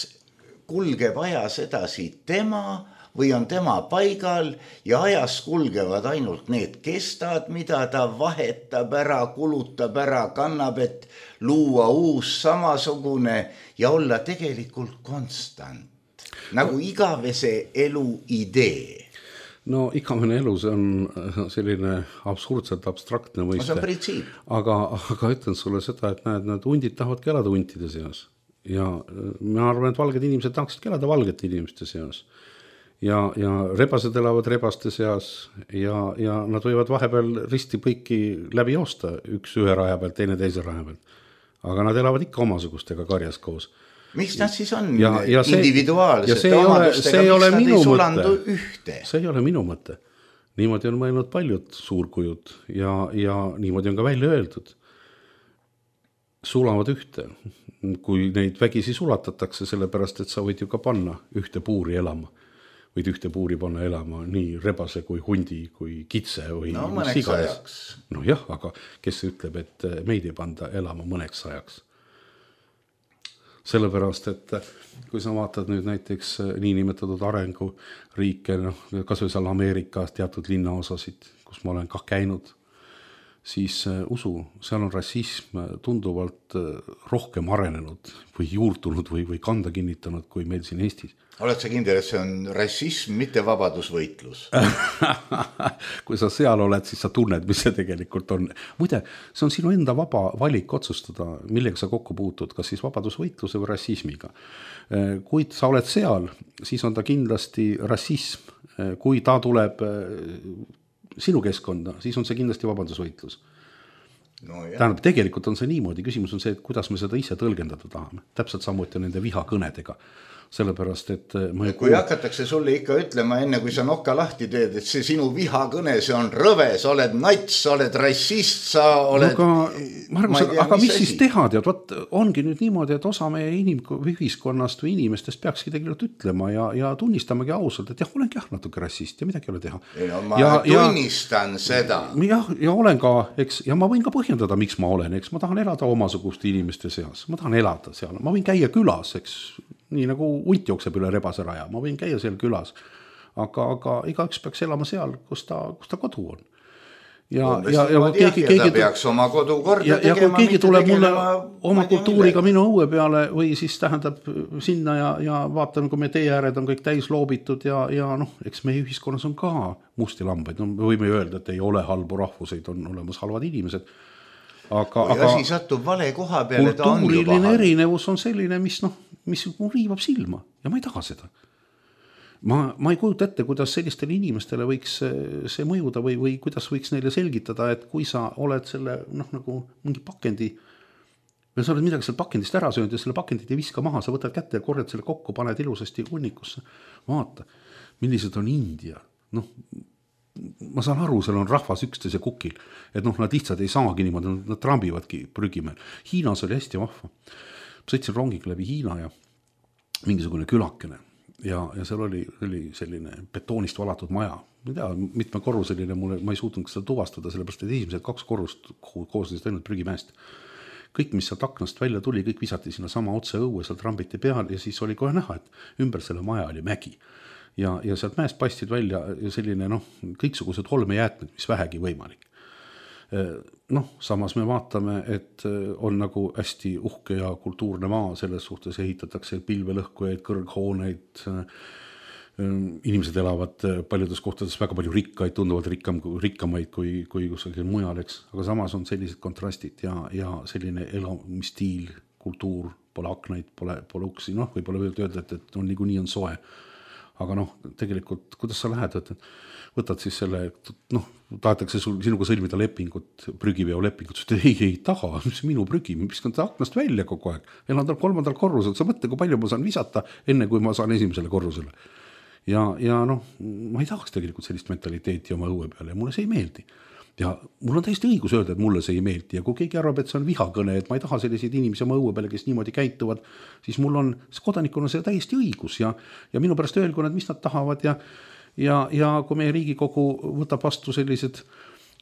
kulgeb ajas edasi tema või on tema paigal ja ajas kulgevad ainult need kestad, mida ta vahetab ära, kulutab ära, kannab, et luua uus samasugune ja olla tegelikult konstant. Nagu igavese elu idee. No igavene elu, see on selline absurdselt abstraktne mõiste. See on printsiip. Aga, aga ütlen sulle seda, et näed, need hundid tahavad elada huntide seas. Ja ma arvan, et valged inimesed tahaksid elada valgete inimeste seas. Ja, ja rebased elavad rebaste seas ja, ja nad võivad vahepeal risti põiki läbi joosta, üks ühe raja pealt, teine teise raja pealt. Aga nad elavad ikka omasugustega karjas koos. Miks nad siis on ja, ja see, individuaalsete omadustega, miks nad ei sulandu ühte? See ei ole minu mõte. Niimoodi on mõelnud paljud suurkujud ja, ja niimoodi on ka välja öeldud. Sulavad ühte, kui neid vägisi sulatatakse, sellepärast, et sa võid ju ka panna ühte puuri elama. Võid ühte puuri panna elama nii rebase kui hundi, kui kitse või no, mõneks ajaks. No jah, aga kes ütleb, et meid ei panda elama mõneks ajaks? Sellepärast, et kui sa vaatad nüüd näiteks niinimetatud arenguriike, noh, kas või seal Ameerikas teatud linnaosasid, kus ma olen kah käinud, siis usu, seal on rassism tunduvalt rohkem arenenud või juurtunud või, või kanda kinnitanud kui meil siin Eestis. Oled sa kindel, et see on rassism, mitte vabadusvõitlus? Kui sa seal oled, siis sa tunned, mis see tegelikult on. Muide, see on sinu enda vaba valik otsustada, millega sa kokku puutud, kas siis vabadusvõitluse või rassismiga. Kui sa oled seal, siis on ta kindlasti rassism. Kui ta tuleb sinu keskkonda, siis on see kindlasti vabadusvõitlus. No, tähendab, tegelikult on see niimoodi. Küsimus on see, et kuidas me seda ise tõlgendada tahame. Täpselt samuti nende vihakõnedega. Sellepärast, et ma kui kuul... hakatakse sulle ikka ütlema enne, kui sa nokka lahti teed, et see sinu vihakõne, see on rõve, sa oled nats, sa oled rassist, sa oled... No, aga, Margus, tea, aga mis, mis siis teha, tead, võt, ongi nüüd niimoodi, et osa meie inim- või ühiskonnast või inimestest peakski tegelikult ütlema ja, ja tunnistamagi ausalt, et jah, olengi jah natuke rassist ja midagi ei ole teha. Ei, no, ma ja, tunnistan ja, seda. Jah, ja olen ka, eks, ja ma võin ka põhjendada, miks ma olen, eks, ma tahan elada omasuguste inimeste seas, ma tahan elada seal, ma võin käia külas, eks, nii nagu hunt jookseb üle rebase raja, ma võin käia seal külas, aga, aga igaüks peaks elama seal, kus ta, kus ta kodu on. Ja, ja, ja, ja, keegi, ja ta keegi, peaks oma kodu korda ja, tegema. Ja kui keegi tuleb mulle oma kultuuriga minu õue peale või siis tähendab sinna ja, ja vaatan, kui me tee ääred on kõik täis loobitud ja, ja noh, eks meie ühiskonnas on ka musti lambaid. No, me võime öelda, et ei ole halbu rahvuseid, on olemas halvad inimesed. Aga, kui asi satub vale koha peale, ta on juba halb. Erinevus on selline, mis, noh, mis riivab silma ja ma ei taha seda. Ma, ma ei kujuta ette, kuidas sellistele inimestele võiks see mõjuda või, või kuidas võiks neile selgitada, et kui sa oled selle, noh, nagu mingi pakendi, või sa oled midagi seal pakendist ära söönud ja selle pakendit ei viska maha, sa võtad kätte ja korjad selle kokku, paned ilusasti hunnikusse. Vaata, millised on India. Noh, ma saan aru, seal on rahvas üksteise kukil, et noh, nad lihtsalt ei saagi niimoodi, nad trambivadki prügimeel. Hiinas oli hästi vahva. Sõitsin rongiga läbi Hiina ja mingisugune külakene ja, ja seal oli, oli selline betoonist valatud maja. Ma ei tea, mitme korruseline, mulle, ma ei suutnud seda tuvastada, sellepärast, et esimesed kaks korrust koosnesid ainult prügimäest. Kõik, mis sealt aknast välja tuli, kõik visati sinna sama otse õue, seal trambiti peal ja siis oli kohe näha, et ümber selle maja oli mägi. Ja, ja sealt mäest paistid välja selline, noh, kõiksugused olmejäätmed, mis vähegi võimalik. Noh, samas me vaatame, et on nagu hästi uhke ja kultuurne maa, selles suhtes ehitatakse pilvelõhkujaid, kõrghooneid, inimesed elavad paljudes kohtades väga palju rikkaid, tunduvalt rikkam, rikkamaid kui, kui kusagil mujal, eks. Aga samas on sellised kontrastid ja, ja selline elamisstiil, kultuur, pole aknaid, pole, pole uksi, noh, võib-olla öelda, et, et on niikuinii on soe. aga noh, tegelikult, kuidas sa lähed, et võtad siis selle, noh, tahetakse sul, sinuga sõlmida lepingut, prügiveo lepingut, sa ütled, ei, ei taha, mis minu prügi, ma viskan ta aknast välja kogu aeg, elan tal kolmandal korrusel, sa mõtle, kui palju ma saan visata, enne kui ma saan esimesele korrusele. Ja, ja noh, ma ei tahaks tegelikult sellist mentaliteeti oma õue peale ja mulle see ei meeldi. Ja mul on täiesti õigus öelda, et mulle see ei meeldi ja kui keegi arvab, et see on vihakõne, et ma ei taha selliseid inimesi oma õue peale, kes niimoodi käituvad, siis mul on, kodanikuna see täiesti õigus ja, ja minu pärast öelgu nad, mis nad tahavad ja Ja, ja kui meie Riigikogu võtab vastu sellised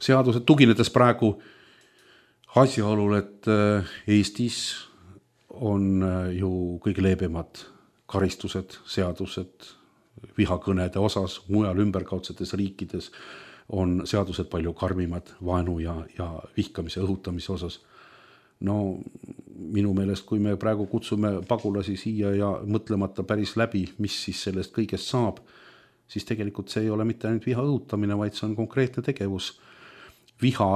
seadused, tuginedes praegu asjaolul, et Eestis on ju kõige leebemad karistused, seadused vihakõnede osas, mujal ümberkaudsetes riikides on seadused palju karmimad vaenu ja, ja vihkamise õhutamise osas. No minu meelest, kui me praegu kutsume pagulasi siia ja mõtlemata päris läbi, mis siis sellest kõigest saab, siis tegelikult see ei ole mitte ainult viha õhutamine, vaid see on konkreetne tegevus viha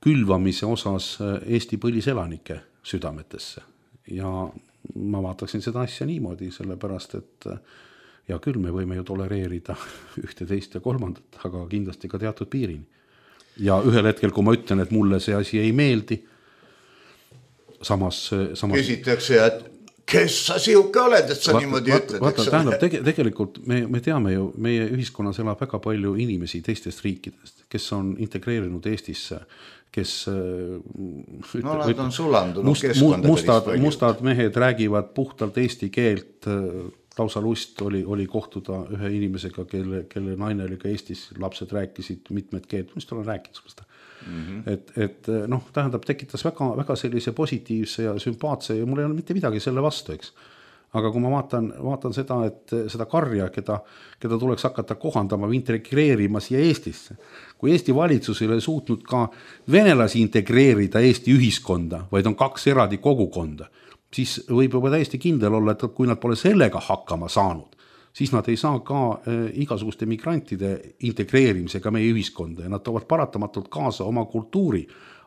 külvamise osas Eesti põliselanike südametesse. Ja ma vaataksin seda asja niimoodi, sellepärast, et ja küll me võime ju tolereerida ühte, teist ja kolmandat, aga kindlasti ka teatud piirini. Ja ühel hetkel, kui ma ütlen, et mulle see asi ei meeldi, samas... samas... Küsitakse, et kes sa siuke oled, et sa vaata, niimoodi vaata, ütled? Vaata, tähendab, tege, tegelikult me, me teame ju, meie ühiskonnas elab väga palju inimesi teistest riikidest, kes on integreerinud Eestisse, kes ütle, no nad on sulandunud must, keskkonda mustad, mustad mehed räägivad puhtalt eesti keelt, lausa lust oli, oli kohtuda ühe inimesega, kelle, kelle naine oli ka Eestis, lapsed rääkisid mitmed keelt, mis tal on rääkinud seda. Mm-hmm. Et, et noh, tähendab, tekitas väga, väga sellise positiivse ja sümpaatse ja mul ei ole mitte midagi selle vastu, eks. Aga kui ma vaatan, vaatan seda, et seda karja, keda, keda tuleks hakata kohandama või integreerima siia Eestisse, kui Eesti valitsus ei ole suutnud ka venelasi integreerida Eesti ühiskonda, vaid on kaks eraldi kogukonda, siis võib juba täiesti kindel olla, et kui nad pole sellega hakkama saanud, siis nad ei saa ka igasuguste migrantide integreerimisega meie ühiskonda ja nad toovad paratamatult kaasa oma kultuuri,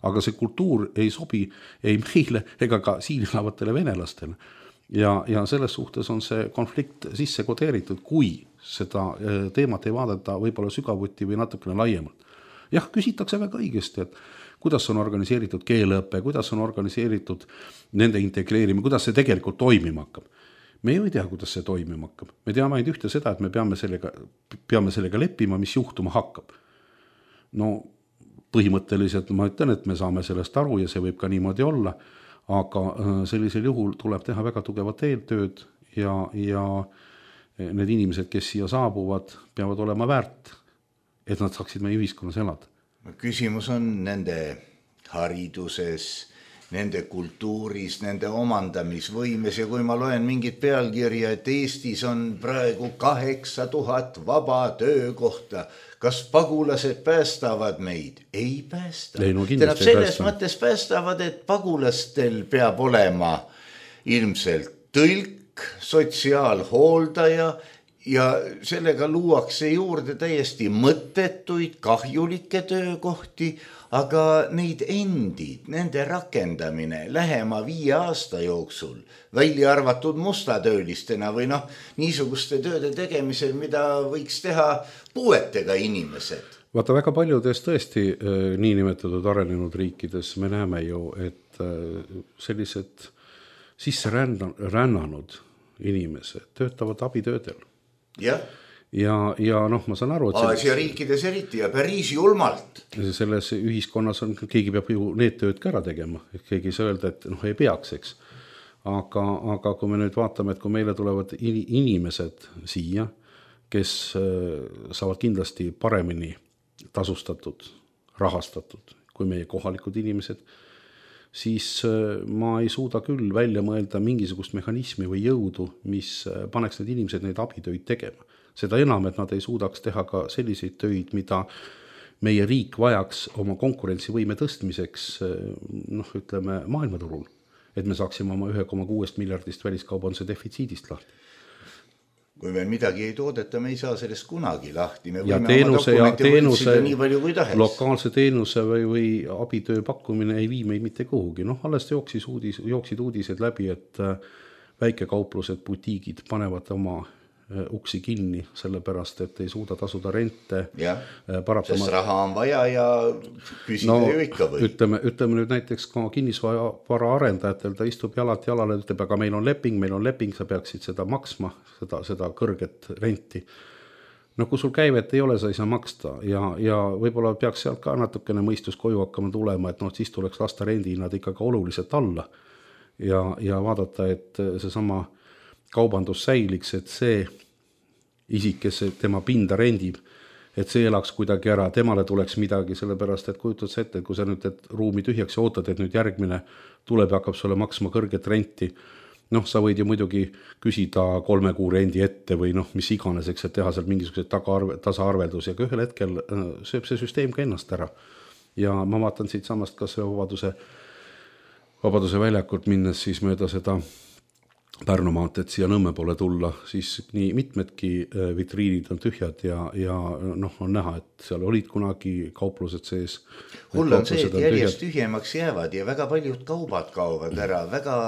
aga see kultuur ei sobi ei meile ega ka siin elavatele venelastele. Ja, ja selles suhtes on see konflikt sisse kodeeritud, kui seda teemat ei vaadata võib-olla sügavuti või natukene laiemalt. Jah, küsitakse väga õigesti, et kuidas on organiseeritud keeleõppe, kuidas on organiseeritud nende integreerimine, kuidas see tegelikult toimima hakkab. Me ju ei tea, kuidas see toimima hakkab. Me teame ainult ühte seda, et me peame sellega, peame sellega leppima, mis juhtuma hakkab. No põhimõtteliselt ma ütlen, et me saame sellest aru ja see võib ka niimoodi olla, aga sellisel juhul tuleb teha väga tugevat eeltööd ja, ja need inimesed, kes siia saabuvad, peavad olema väärt, et nad saaksid meie ühiskonnas elada. Küsimus on nende hariduses, nende kultuuris, nende omandamisvõimes ja kui ma loen mingit pealkirja, et Eestis on praegu kaheksa tuhat vaba töökohta, kas pagulased päästavad meid? Ei päästa. Ei, no Tähendab, selles päästa. Mõttes päästavad, et pagulastel peab olema ilmselt tõlk, sotsiaalhooldaja ja sellega luuakse juurde täiesti mõttetuid, kahjulikke töökohti, aga neid endid, nende rakendamine lähema viie aasta jooksul, välja arvatud mustatöölistena või noh, niisuguste tööde tegemisel, mida võiks teha puuetega inimesed. Vaata, väga paljudes tõesti nii nimetatud arenenud riikides me näeme ju, et sellised sisse rännanud inimesed töötavad abitöödel. Jah. Ja, ja noh, ma saan aru, et Aasia riikides eriti ja päris julmalt. Selles ühiskonnas on, keegi peab ju need tööd ka ära tegema, keegi ei saa öelda, et noh, ei peaks, eks. Aga, aga kui me nüüd vaatame, et kui meile tulevad inimesed siia, kes saavad kindlasti paremini tasustatud, rahastatud kui meie kohalikud inimesed, siis ma ei suuda küll välja mõelda mingisugust mehhanismi või jõudu, mis paneks need inimesed neid abitöid tegema. Seda enam, et nad ei suudaks teha ka selliseid töid, mida meie riik vajaks oma konkurentsivõime tõstmiseks, noh, ütleme, maailmaturul, et me saaksime oma üks koma kuus miljardist väliskaubanduse defitsiidist lahti. Kui meil midagi ei toodeta, me ei saa sellest kunagi lahti. Me ja teenuse, ja teenuse lokaalse teenuse või, või abitöö pakkumine ei vii meid mitte kuhugi. Noh, alles jooksis uudis, jooksid uudised läbi, et väikekauplused, butiigid panevad oma uksi kinni, sellepärast, et ei suuda tasuda rente. Jah, sest raha on vaja ja küsida no, ju ikka või. Ütleme, ütleme nüüd näiteks ka kinnisvara arendajatel, ta istub jalad jalale, ütleb, aga meil on leping, meil on leping, sa peaksid seda maksma, seda, seda kõrget renti. No kui sul käivet ei ole, sa ei saa maksta ja, ja võib-olla peaks sealt ka natukene mõistus koju hakkama tulema, et noh, siis tuleks lasta rendihinnad ikkagi oluliselt alla ja, ja vaadata, et see sama kaubandus säiliks, et see isik, kes tema pinda rendib, et see elaks kuidagi ära, temale tuleks midagi, sellepärast, et kujutad sa ette, et kui sa nüüd et ruumi tühjaks ja ootad, et nüüd järgmine tuleb ja hakkab sulle maksma kõrget renti, noh, sa võid ju muidugi küsida kolme kuu rendi ette või noh, mis iganeseks, et teha seal mingisugused tasaarveldusi, aga ühel hetkel sööb see süsteem ka ennast ära. Ja ma vaatan siit samast kas vabaduse, vabaduse väljakult minnes siis mööda seda Pärnu maanteed siia Nõmme poole tulla, siis nii mitmedki vitriinid on tühjad ja, ja noh, on näha, et seal olid kunagi kauplused sees. Hull on see, et järjest tühjemaks jäävad ja väga paljud kaubad kaovad ära, väga,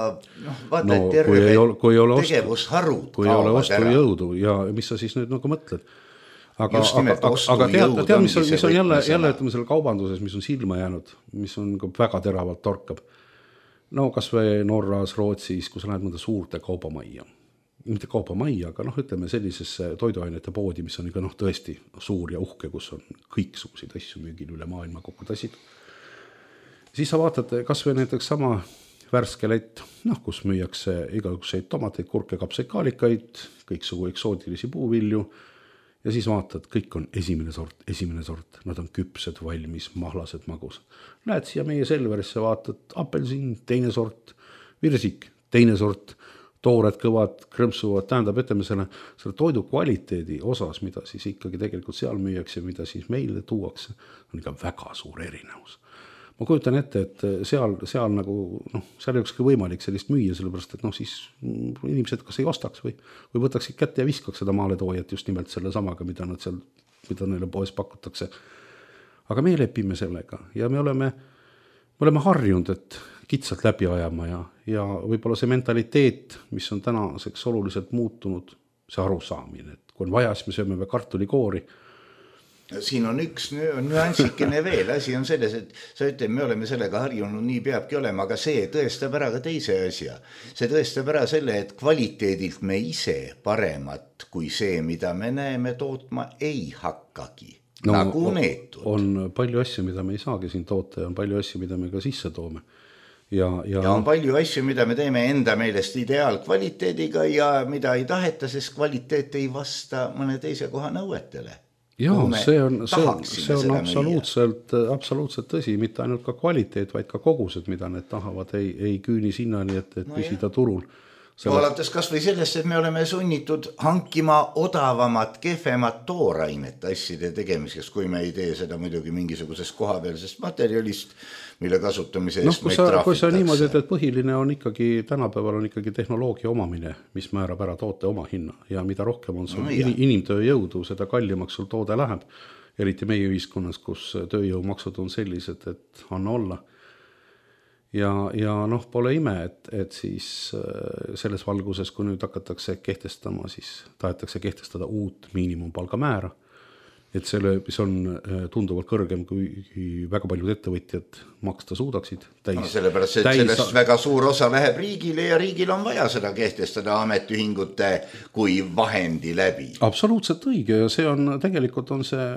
noh, vaata, no, et terve tegevusharud kui kaovad ära. Kui ei ole ostujõudu ja mis sa siis nüüd nagu mõtled? Aga, aga, aga tead, tead, mis on, mis on jälle, jälle ütleme selle kaubanduses, mis on silma jäänud, mis on väga teravalt torkab. No kas või Norras, Rootsis, kui sa lähed mõnda suurte kaubamajja, mitte kaubamajja, aga noh, ütleme sellisesse toiduainete poodi, mis on ikka noh tõesti suur ja uhke, kus on kõiksuguseid asju müügil üle maailma kokku tassid. Siis sa vaatad kas või näiteks sama värske lett, noh, kus müüakse igasuguseid tomateid, kurke, kapsekaalikaid, kõiksugu eksootilisi puuvilju. Ja siis vaatad, kõik on esimene sort, esimene sort, nad on küpsed, valmis, mahlased, magusad. Lähed siia meie Selverisse, vaatad, apelsin, teine sort, virsik, teine sort, toored kõvad, krõmpsuvad, tähendab, ütleme selle, selle toidu kvaliteedi osas, mida siis ikkagi tegelikult seal müüakse, mida siis meile tuuakse, on ikka väga suur erinevus. Ma kujutan ette, et seal, seal nagu, noh, seal ei olekski võimalik sellist müüa, sellepärast, et noh, siis inimesed kas ei ostaks või, või võtaksid kätte ja viskaks seda maaletoojat just nimelt selle samaga, mida nad seal, mida neile poes pakutakse. Aga me lepime sellega ja me oleme, me oleme harjunud, et kitsalt läbi ajama ja, ja võib-olla see mentaliteet, mis on tänaseks oluliselt muutunud, see arusaamine, et kui on vaja, siis me sööme või kartulikoori. Siin on üks nüansikene veel, asi on selles, et sa ütled, me oleme sellega harjunud, nii peabki olema, aga see tõestab ära ka teise asja. See tõestab ära selle, et kvaliteedilt me ise paremat kui see, mida me näeme tootma, ei hakkagi. No, nagu neetud. On palju asju, mida me ei saagi siin toota ja on palju asju, mida me ka sisse toome. Ja, ja... ja on palju asju, mida me teeme enda meelest ideaalkvaliteediga ja mida ei taheta, sest kvaliteet ei vasta mõne teise koha nõuetele. Jaa, see on, see on, see on absoluutselt, absoluutselt tõsi, mitte ainult ka kvaliteet, vaid ka kogused, mida need tahavad, ei, ei küüni sinnani, et, et no püsida jah. Turul. Selle... Alates kas või sellest, et me oleme sunnitud hankima odavamat, kehvemat toorainet asjade tegemiseks, kui me ei tee seda muidugi mingisugusest kohapealsest materjalist, mille kasutamise eest no, meid trahvitakse. Kui sa niimoodi, et põhiline on ikkagi, tänapäeval on ikkagi tehnoloogia omamine, mis määrab ära toote oma hinna ja mida rohkem on sul no, inimtöö jõudu, seda kallimaks sul toode läheb, eriti meie ühiskonnas, kus tööjõumaksud on sellised, et anna olla. Ja, ja noh, pole ime, et, et siis selles valguses, kui nüüd hakatakse kehtestama, siis tahetakse kehtestada uut miinimumpalga määra, et selle, mis on tunduvalt kõrgem, kui väga paljud ettevõtjad maksta suudaksid. Täis, no sellepärast, et täis... sellest väga suur osa läheb riigile ja riigil on vaja seda kehtestada ametiühingute kui vahendi läbi. Absoluutselt õige ja see on, tegelikult on see,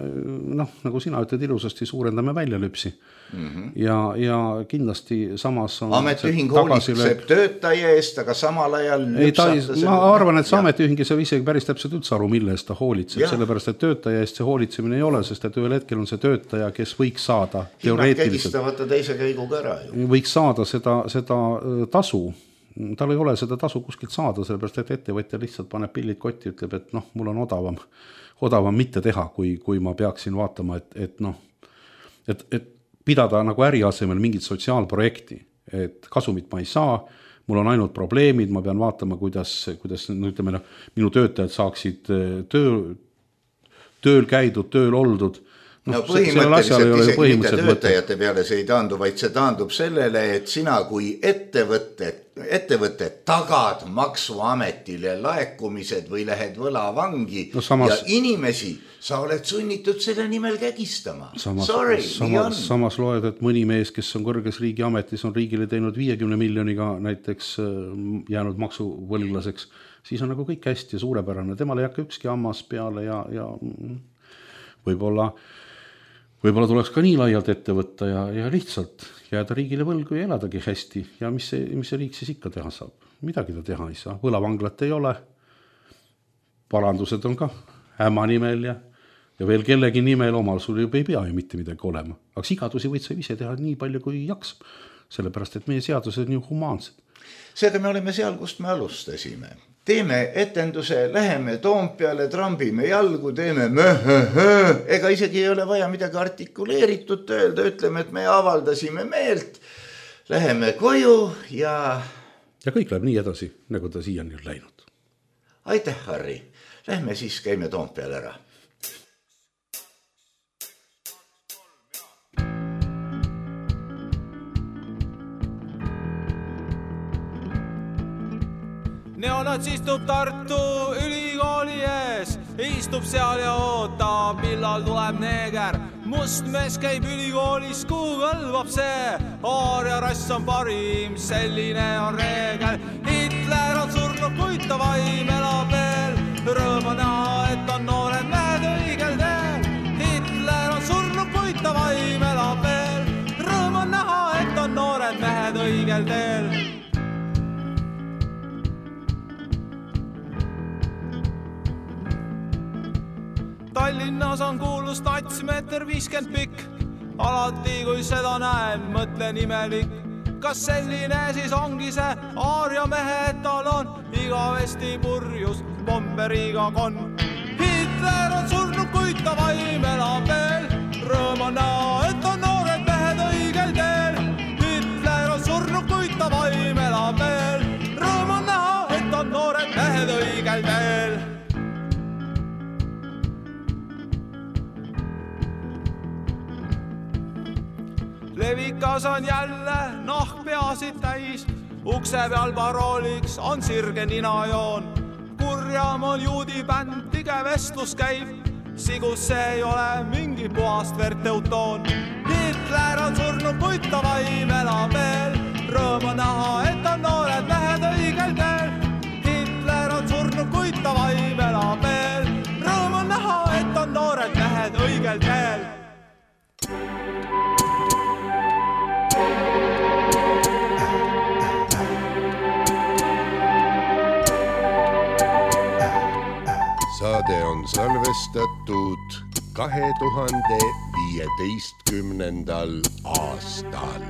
noh, nagu sina ütled ilusasti, suurendame väljalüpsi. Mm-hmm. Ja, ja kindlasti samas on ametiühing hoolitseb töötaja eest, aga samal ajal ei, ta, ma arvan, et see ametiühing ei saa isegi päris täpselt üldse aru, mille eest ta hoolitseb, ja. Sellepärast, et töötaja eest see hoolitsemine ei ole, sest et ühel hetkel on see töötaja, kes võiks saada teoreetiliselt teise käiguga ära ju. Võiks saada seda, seda tasu, tal ei ole seda tasu kuskilt saada, sellepärast, et ettevõtja lihtsalt paneb pillid kotti, ütleb, et noh, mul on odavam, odavam mitte teha, kui, kui ma peaksin vaatama, et, et noh, et, et pidada nagu äri asemel mingit sotsiaalprojekti, et kasumit ma ei saa, mul on ainult probleemid, ma pean vaatama, kuidas, kuidas no, ütleme, minu töötajad saaksid töö, tööl käidud, tööl oldud, no põhimõtteliselt isegi mitte töötajate peale see ei taandu, vaid see taandub sellele, et sina kui ettevõtte, ettevõtte tagad maksuametile laekumised või lähed võlavangi no samas, ja inimesi sa oled sunnitud selle nimel kägistama. Samas, Sorry, samas, samas loed, et mõni mees, kes on kõrges riigiametis, on riigile teinud viiekümne miljoniga näiteks jäänud maksuvõlglaseks, siis on nagu kõik hästi ja suurepärane. Temal ei hakka ükski hammas peale ja, ja võib-olla Võib-olla tuleks ka nii laialt ette võtta ja, ja lihtsalt jääda riigile võlgu ja eladagi hästi. Ja mis see, mis see riik siis ikka teha saab? Midagi ta teha ei saa. Võlavanglat ei ole. Parandused on ka äma nimel ja, ja veel kellegi nimel omal sul juba ei pea ju mitte midagi olema. Aga sigadusi võid sa ise teha nii palju kui jaksab. Sellepärast, et meie seadused on ju humaansed. Seega me oleme seal, kust me alustasime. Teeme etenduse, läheme Toompeale, trambime jalgu, teeme möhöhö. Ega isegi ei ole vaja midagi artikuleeritud öelda, ütleme, et me avaldasime meelt, läheme koju ja... Ja kõik läheb nii edasi, nagu ta siiani on läinud. Aitäh, Harri. Lähme siis käime Toompeale ära. Neonats istub Tartu ülikooli ees, istub seal ja ootab, millal tuleb neeger. Must mees käib ülikoolis, kuhu kõlvab see, aaria rass on parim, selline on reegel. Hitler on surnud, kuid ta vaim elab veel, rõõm on näha, et on noored mehed õigel teel. Hitler on surnud, kuid ta vaim elab veel, rõõm on näha, et on noored mehed õigel teel. Tallinnas on kuulus natsimeeter viiskümmend pikk. Alati kui seda näen, mõtlen imelik. Kas selline siis ongi see aaria mehe etalon, igavesti purjus bomberiga kon. Hitler on surnud, kuid ta vaim elab veel, rõõm on näha, et on noored mehed õigel teel. Hitler on surnud, kuid ta vaim elab veel, rõõm on näha, et on noored mehed õigel teel. Levikas on jälle nahk peasid täis, ukse peal parooliks on sirge ninajoon. Kurjam on juudi bänd, tige vestlus käib, sigus see ei ole mingi puhast verteutoon. Hitler on surnud, kuid ta vaim elab veel, rõõm on näha, et on noored mehed õigel teel. Hitler on surnud, kuid ta vaim elab veel, rõõm on näha, et on noored mehed õigel teel. Saade on salvestatud kahe tuhande viieteistkümnendal aastal.